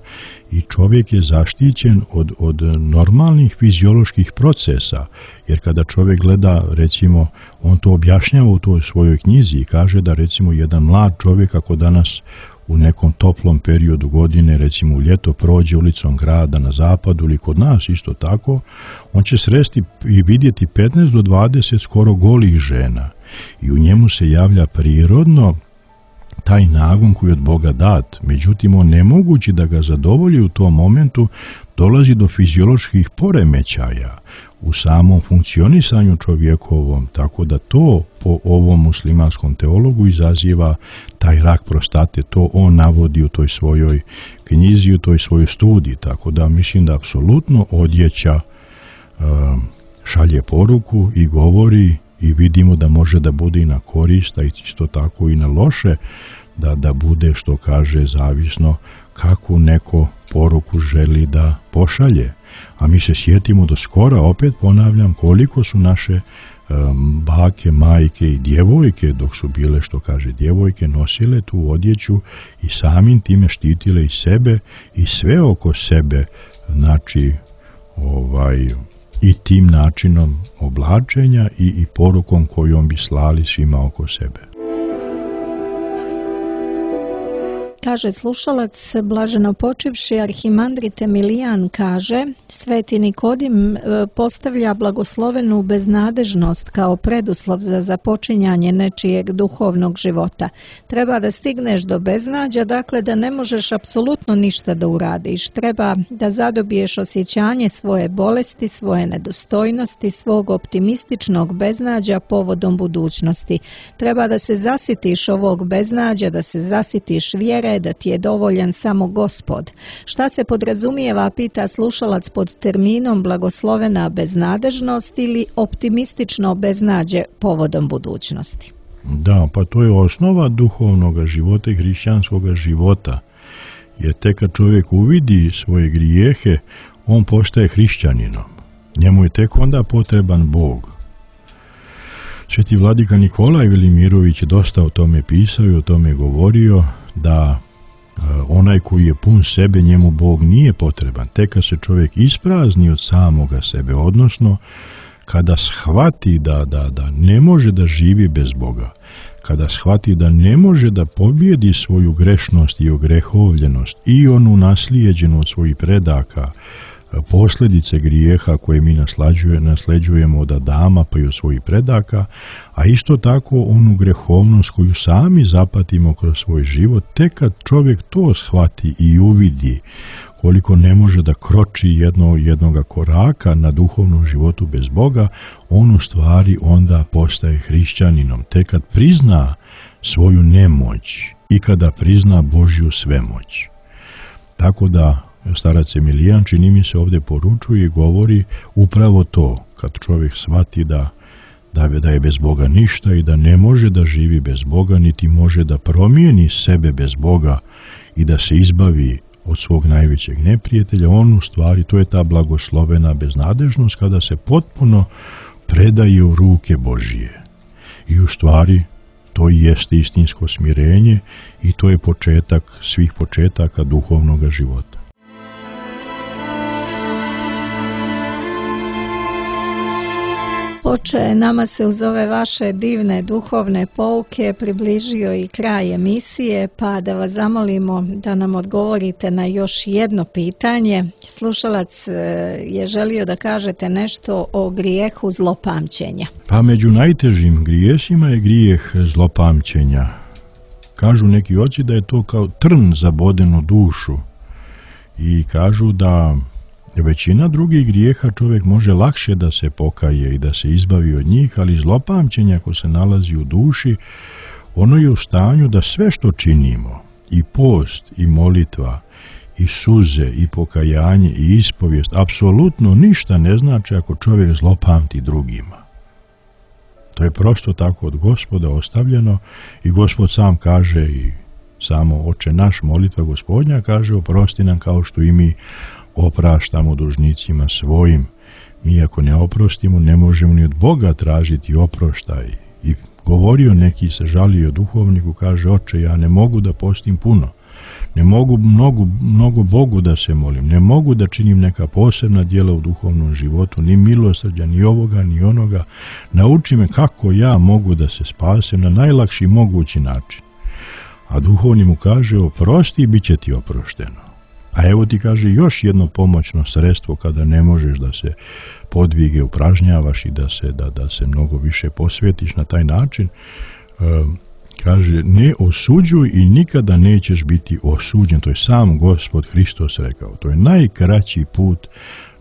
Speaker 8: i čovjek je zaštićen od normalnih fizioloških procesa. Jer kada čovjek gleda, recimo, on to objašnjava u toj svojoj knjizi i kaže da, recimo, jedan mlad čovjek ako danas u nekom toplom periodu godine, recimo u ljeto, prođe ulicom grada na zapadu ili kod nas isto tako, on će sresti i vidjeti 15 do 20 skoro golih žena. I u njemu se javlja prirodno taj nagon koji je od Boga dat. Međutim, on nemogući da ga zadovolji u tom momentu, dolazi do fizioloških poremećaja u samom funkcionisanju čovjekovom, tako da to po ovom muslimanskom teologu izaziva taj rak prostate. To on navodi u toj svojoj knjizi, u toj svojoj studiji, tako da mislim da apsolutno odjeća šalje poruku i govori i vidimo da može da bude i na korist, a isto tako i na loše, da bude, što kaže, zavisno kakvu neko poruku želi da pošalje. A mi se sjetimo do skora, opet ponavljam, koliko su naše bake, majke i djevojke, dok su bile, što kaže, djevojke, nosile tu odjeću i samim time štitile i sebe i sve oko sebe, znači i tim načinom oblačenja i porukom kojom bi slali svima oko sebe.
Speaker 7: Kaže slušalac, blaženo počivši arhimandrit Emilijan kaže, Sveti Nikodim postavlja blagoslovenu beznadežnost kao preduslov za započinjanje nečijeg duhovnog života. Treba da stigneš do beznađa, dakle da ne možeš apsolutno ništa da uradiš. Treba da zadobiješ osjećanje svoje bolesti, svoje nedostojnosti, svog optimističnog beznađa povodom budućnosti. Treba da se zasitiš ovog beznađa, da se zasitiš vjere, da ti je dovoljan samo Gospod. Šta se podrazumijeva, pita slušalac, pod terminom blagoslovena beznadežnost ili optimistično beznađe povodom budućnosti?
Speaker 8: Da, pa to je osnova duhovnog života i hrišćanskog života. Jer tek kad čovjek uvidi svoje grijehe, on postaje hrišćaninom. Njemu je tek onda potreban Bog. Sveti vladika Nikolaj Velimirović je dosta o tome pisao i o tome govorio, da onaj koji je pun sebe, njemu Bog nije potreban. Tek kad se čovjek isprazni od samoga sebe, odnosno kada shvati da ne može da živi bez Boga, kada shvati da ne može da pobjedi svoju grešnost i ogrehovljenost i onu naslijeđenu od svojih predaka, posljedice grijeha koje mi nasleđujemo od Adama pa i od svojih predaka, a isto tako onu grehovnost koju sami zapatimo kroz svoj život, tek kad čovjek to shvati i uvidi koliko ne može da kroči jednoga koraka na duhovnom životu bez Boga, on u stvari onda postaje hrišćaninom. Tek kad prizna svoju nemoć i kada prizna Božju svemoć. Tako da starac Emilijan, čini mi se, ovdje poručuje i govori upravo to, kad čovjek shvati da je bez Boga ništa i da ne može da živi bez Boga, niti može da promijeni sebe bez Boga i da se izbavi od svog najvećeg neprijatelja, on u stvari, to je ta blagoslovena beznadežnost kada se potpuno predaje u ruke Božije. I u stvari to i jeste istinsko smirenje i to je početak svih početaka duhovnog života.
Speaker 7: Oče, nama se uz ove vaše divne duhovne pouke približio i kraj emisije, pa da vas zamolimo da nam odgovorite na još jedno pitanje. Slušalac je želio da kažete nešto o grijehu zlopamćenja.
Speaker 8: Pa među najtežim grijesima je grijeh zlopamćenja. Kažu neki oci da je to kao trn zaboden u dušu i kažu da većina drugih grijeha čovjek može lakše da se pokaje i da se izbavi od njih, ali zlopamćenje ako se nalazi u duši, ono je u stanju da sve što činimo, i post, i molitva, i suze, i pokajanje, i ispovijest, apsolutno ništa ne znači ako čovjek zlopamti drugima. To je prosto tako od Gospoda ostavljeno i Gospod sam kaže, i samo Oče naš, molitva Gospodnja, kaže oprosti nam kao što i mi opraštamo dužnicima svojim. Mi ako ne oprostimo, ne možemo ni od Boga tražiti oproštaj. I govorio neki, se žalio duhovniku, kaže: Oče, ja ne mogu da postim puno, ne mogu mnogo Bogu da se molim, ne mogu da činim neka posebna djela u duhovnom životu, ni milosrđa, ni ovoga, ni onoga. Nauči me kako ja mogu da se spasem na najlakši mogući način. A duhovni mu kaže: oprosti i bit će ti oprošteno. A evo ti, kaže, još jedno pomoćno sredstvo kada ne možeš da se podvige upražnjavaš i da se mnogo više posvetiš na taj način. Kaže: ne osuđuj i nikada nećeš biti osuđen. To je sam Gospod Hristos rekao. To je najkraći put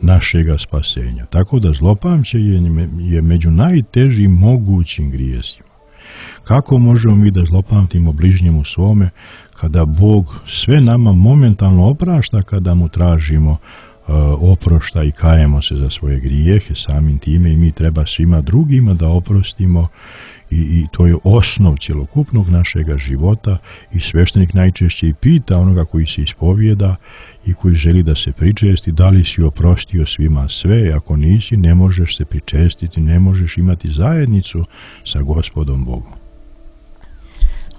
Speaker 8: našega spasenja. Tako da zlopamćenje je među najtežim mogućim grijesima. Kako možemo mi da zlopamtimo bližnjemu svome kada Bog sve nama momentalno oprašta kada mu tražimo oprošta i kajemo se za svoje grijehe samim time, i mi treba svima drugima da oprostimo, i to je osnov cjelokupnog našega života. I sveštenik najčešće i pita onoga koji se ispovijeda i koji želi da se pričesti: da li si oprostio svima sve? Ako nisi, ne možeš se pričestiti, ne možeš imati zajednicu sa Gospodom Bogom.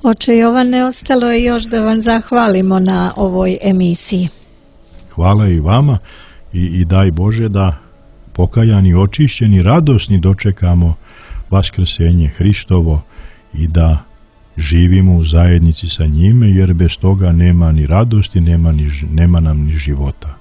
Speaker 7: Oče Jovane, ostalo je još da vam zahvalimo na ovoj emisiji.
Speaker 8: Hvala i vama, i daj Bože da pokajani, očišćeni, radosni dočekamo vaskrsenje Hristovo i da živimo u zajednici sa njime, jer bez toga nema ni radosti, nema nam ni života.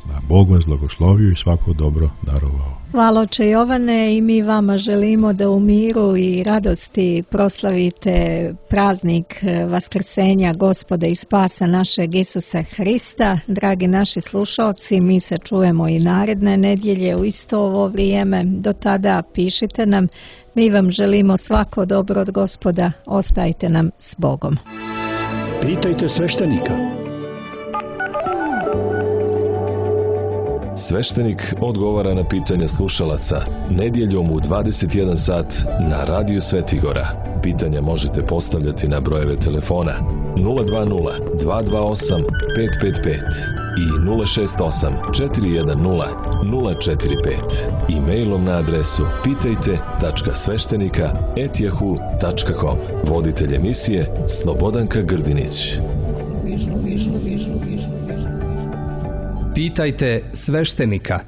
Speaker 8: Da Bog vas blagoslovio i svako dobro darovao.
Speaker 7: Hvala oče Jovane, i mi vama želimo da u miru i radosti proslavite praznik vaskrsenja Gospoda i spasa našeg Isusa Hrista. Dragi naši slušalci, mi se čujemo i naredne nedjelje u isto ovo vrijeme. Do tada pišite nam. Mi vam želimo svako dobro od Gospoda. Ostajte nam s Bogom.
Speaker 3: Pitajte sveštenika.
Speaker 1: Sveštenik odgovara na pitanja slušalaca nedjeljom u 21 sat na Radiju Svetigora. Pitanja možete postavljati na brojeve telefona 020 228 555 i 068 410 045 i mailom na adresu pitajte.sveštenika@yahoo.com. Voditelj emisije Slobodanka Grdinić.
Speaker 2: Pitajte sveštenika.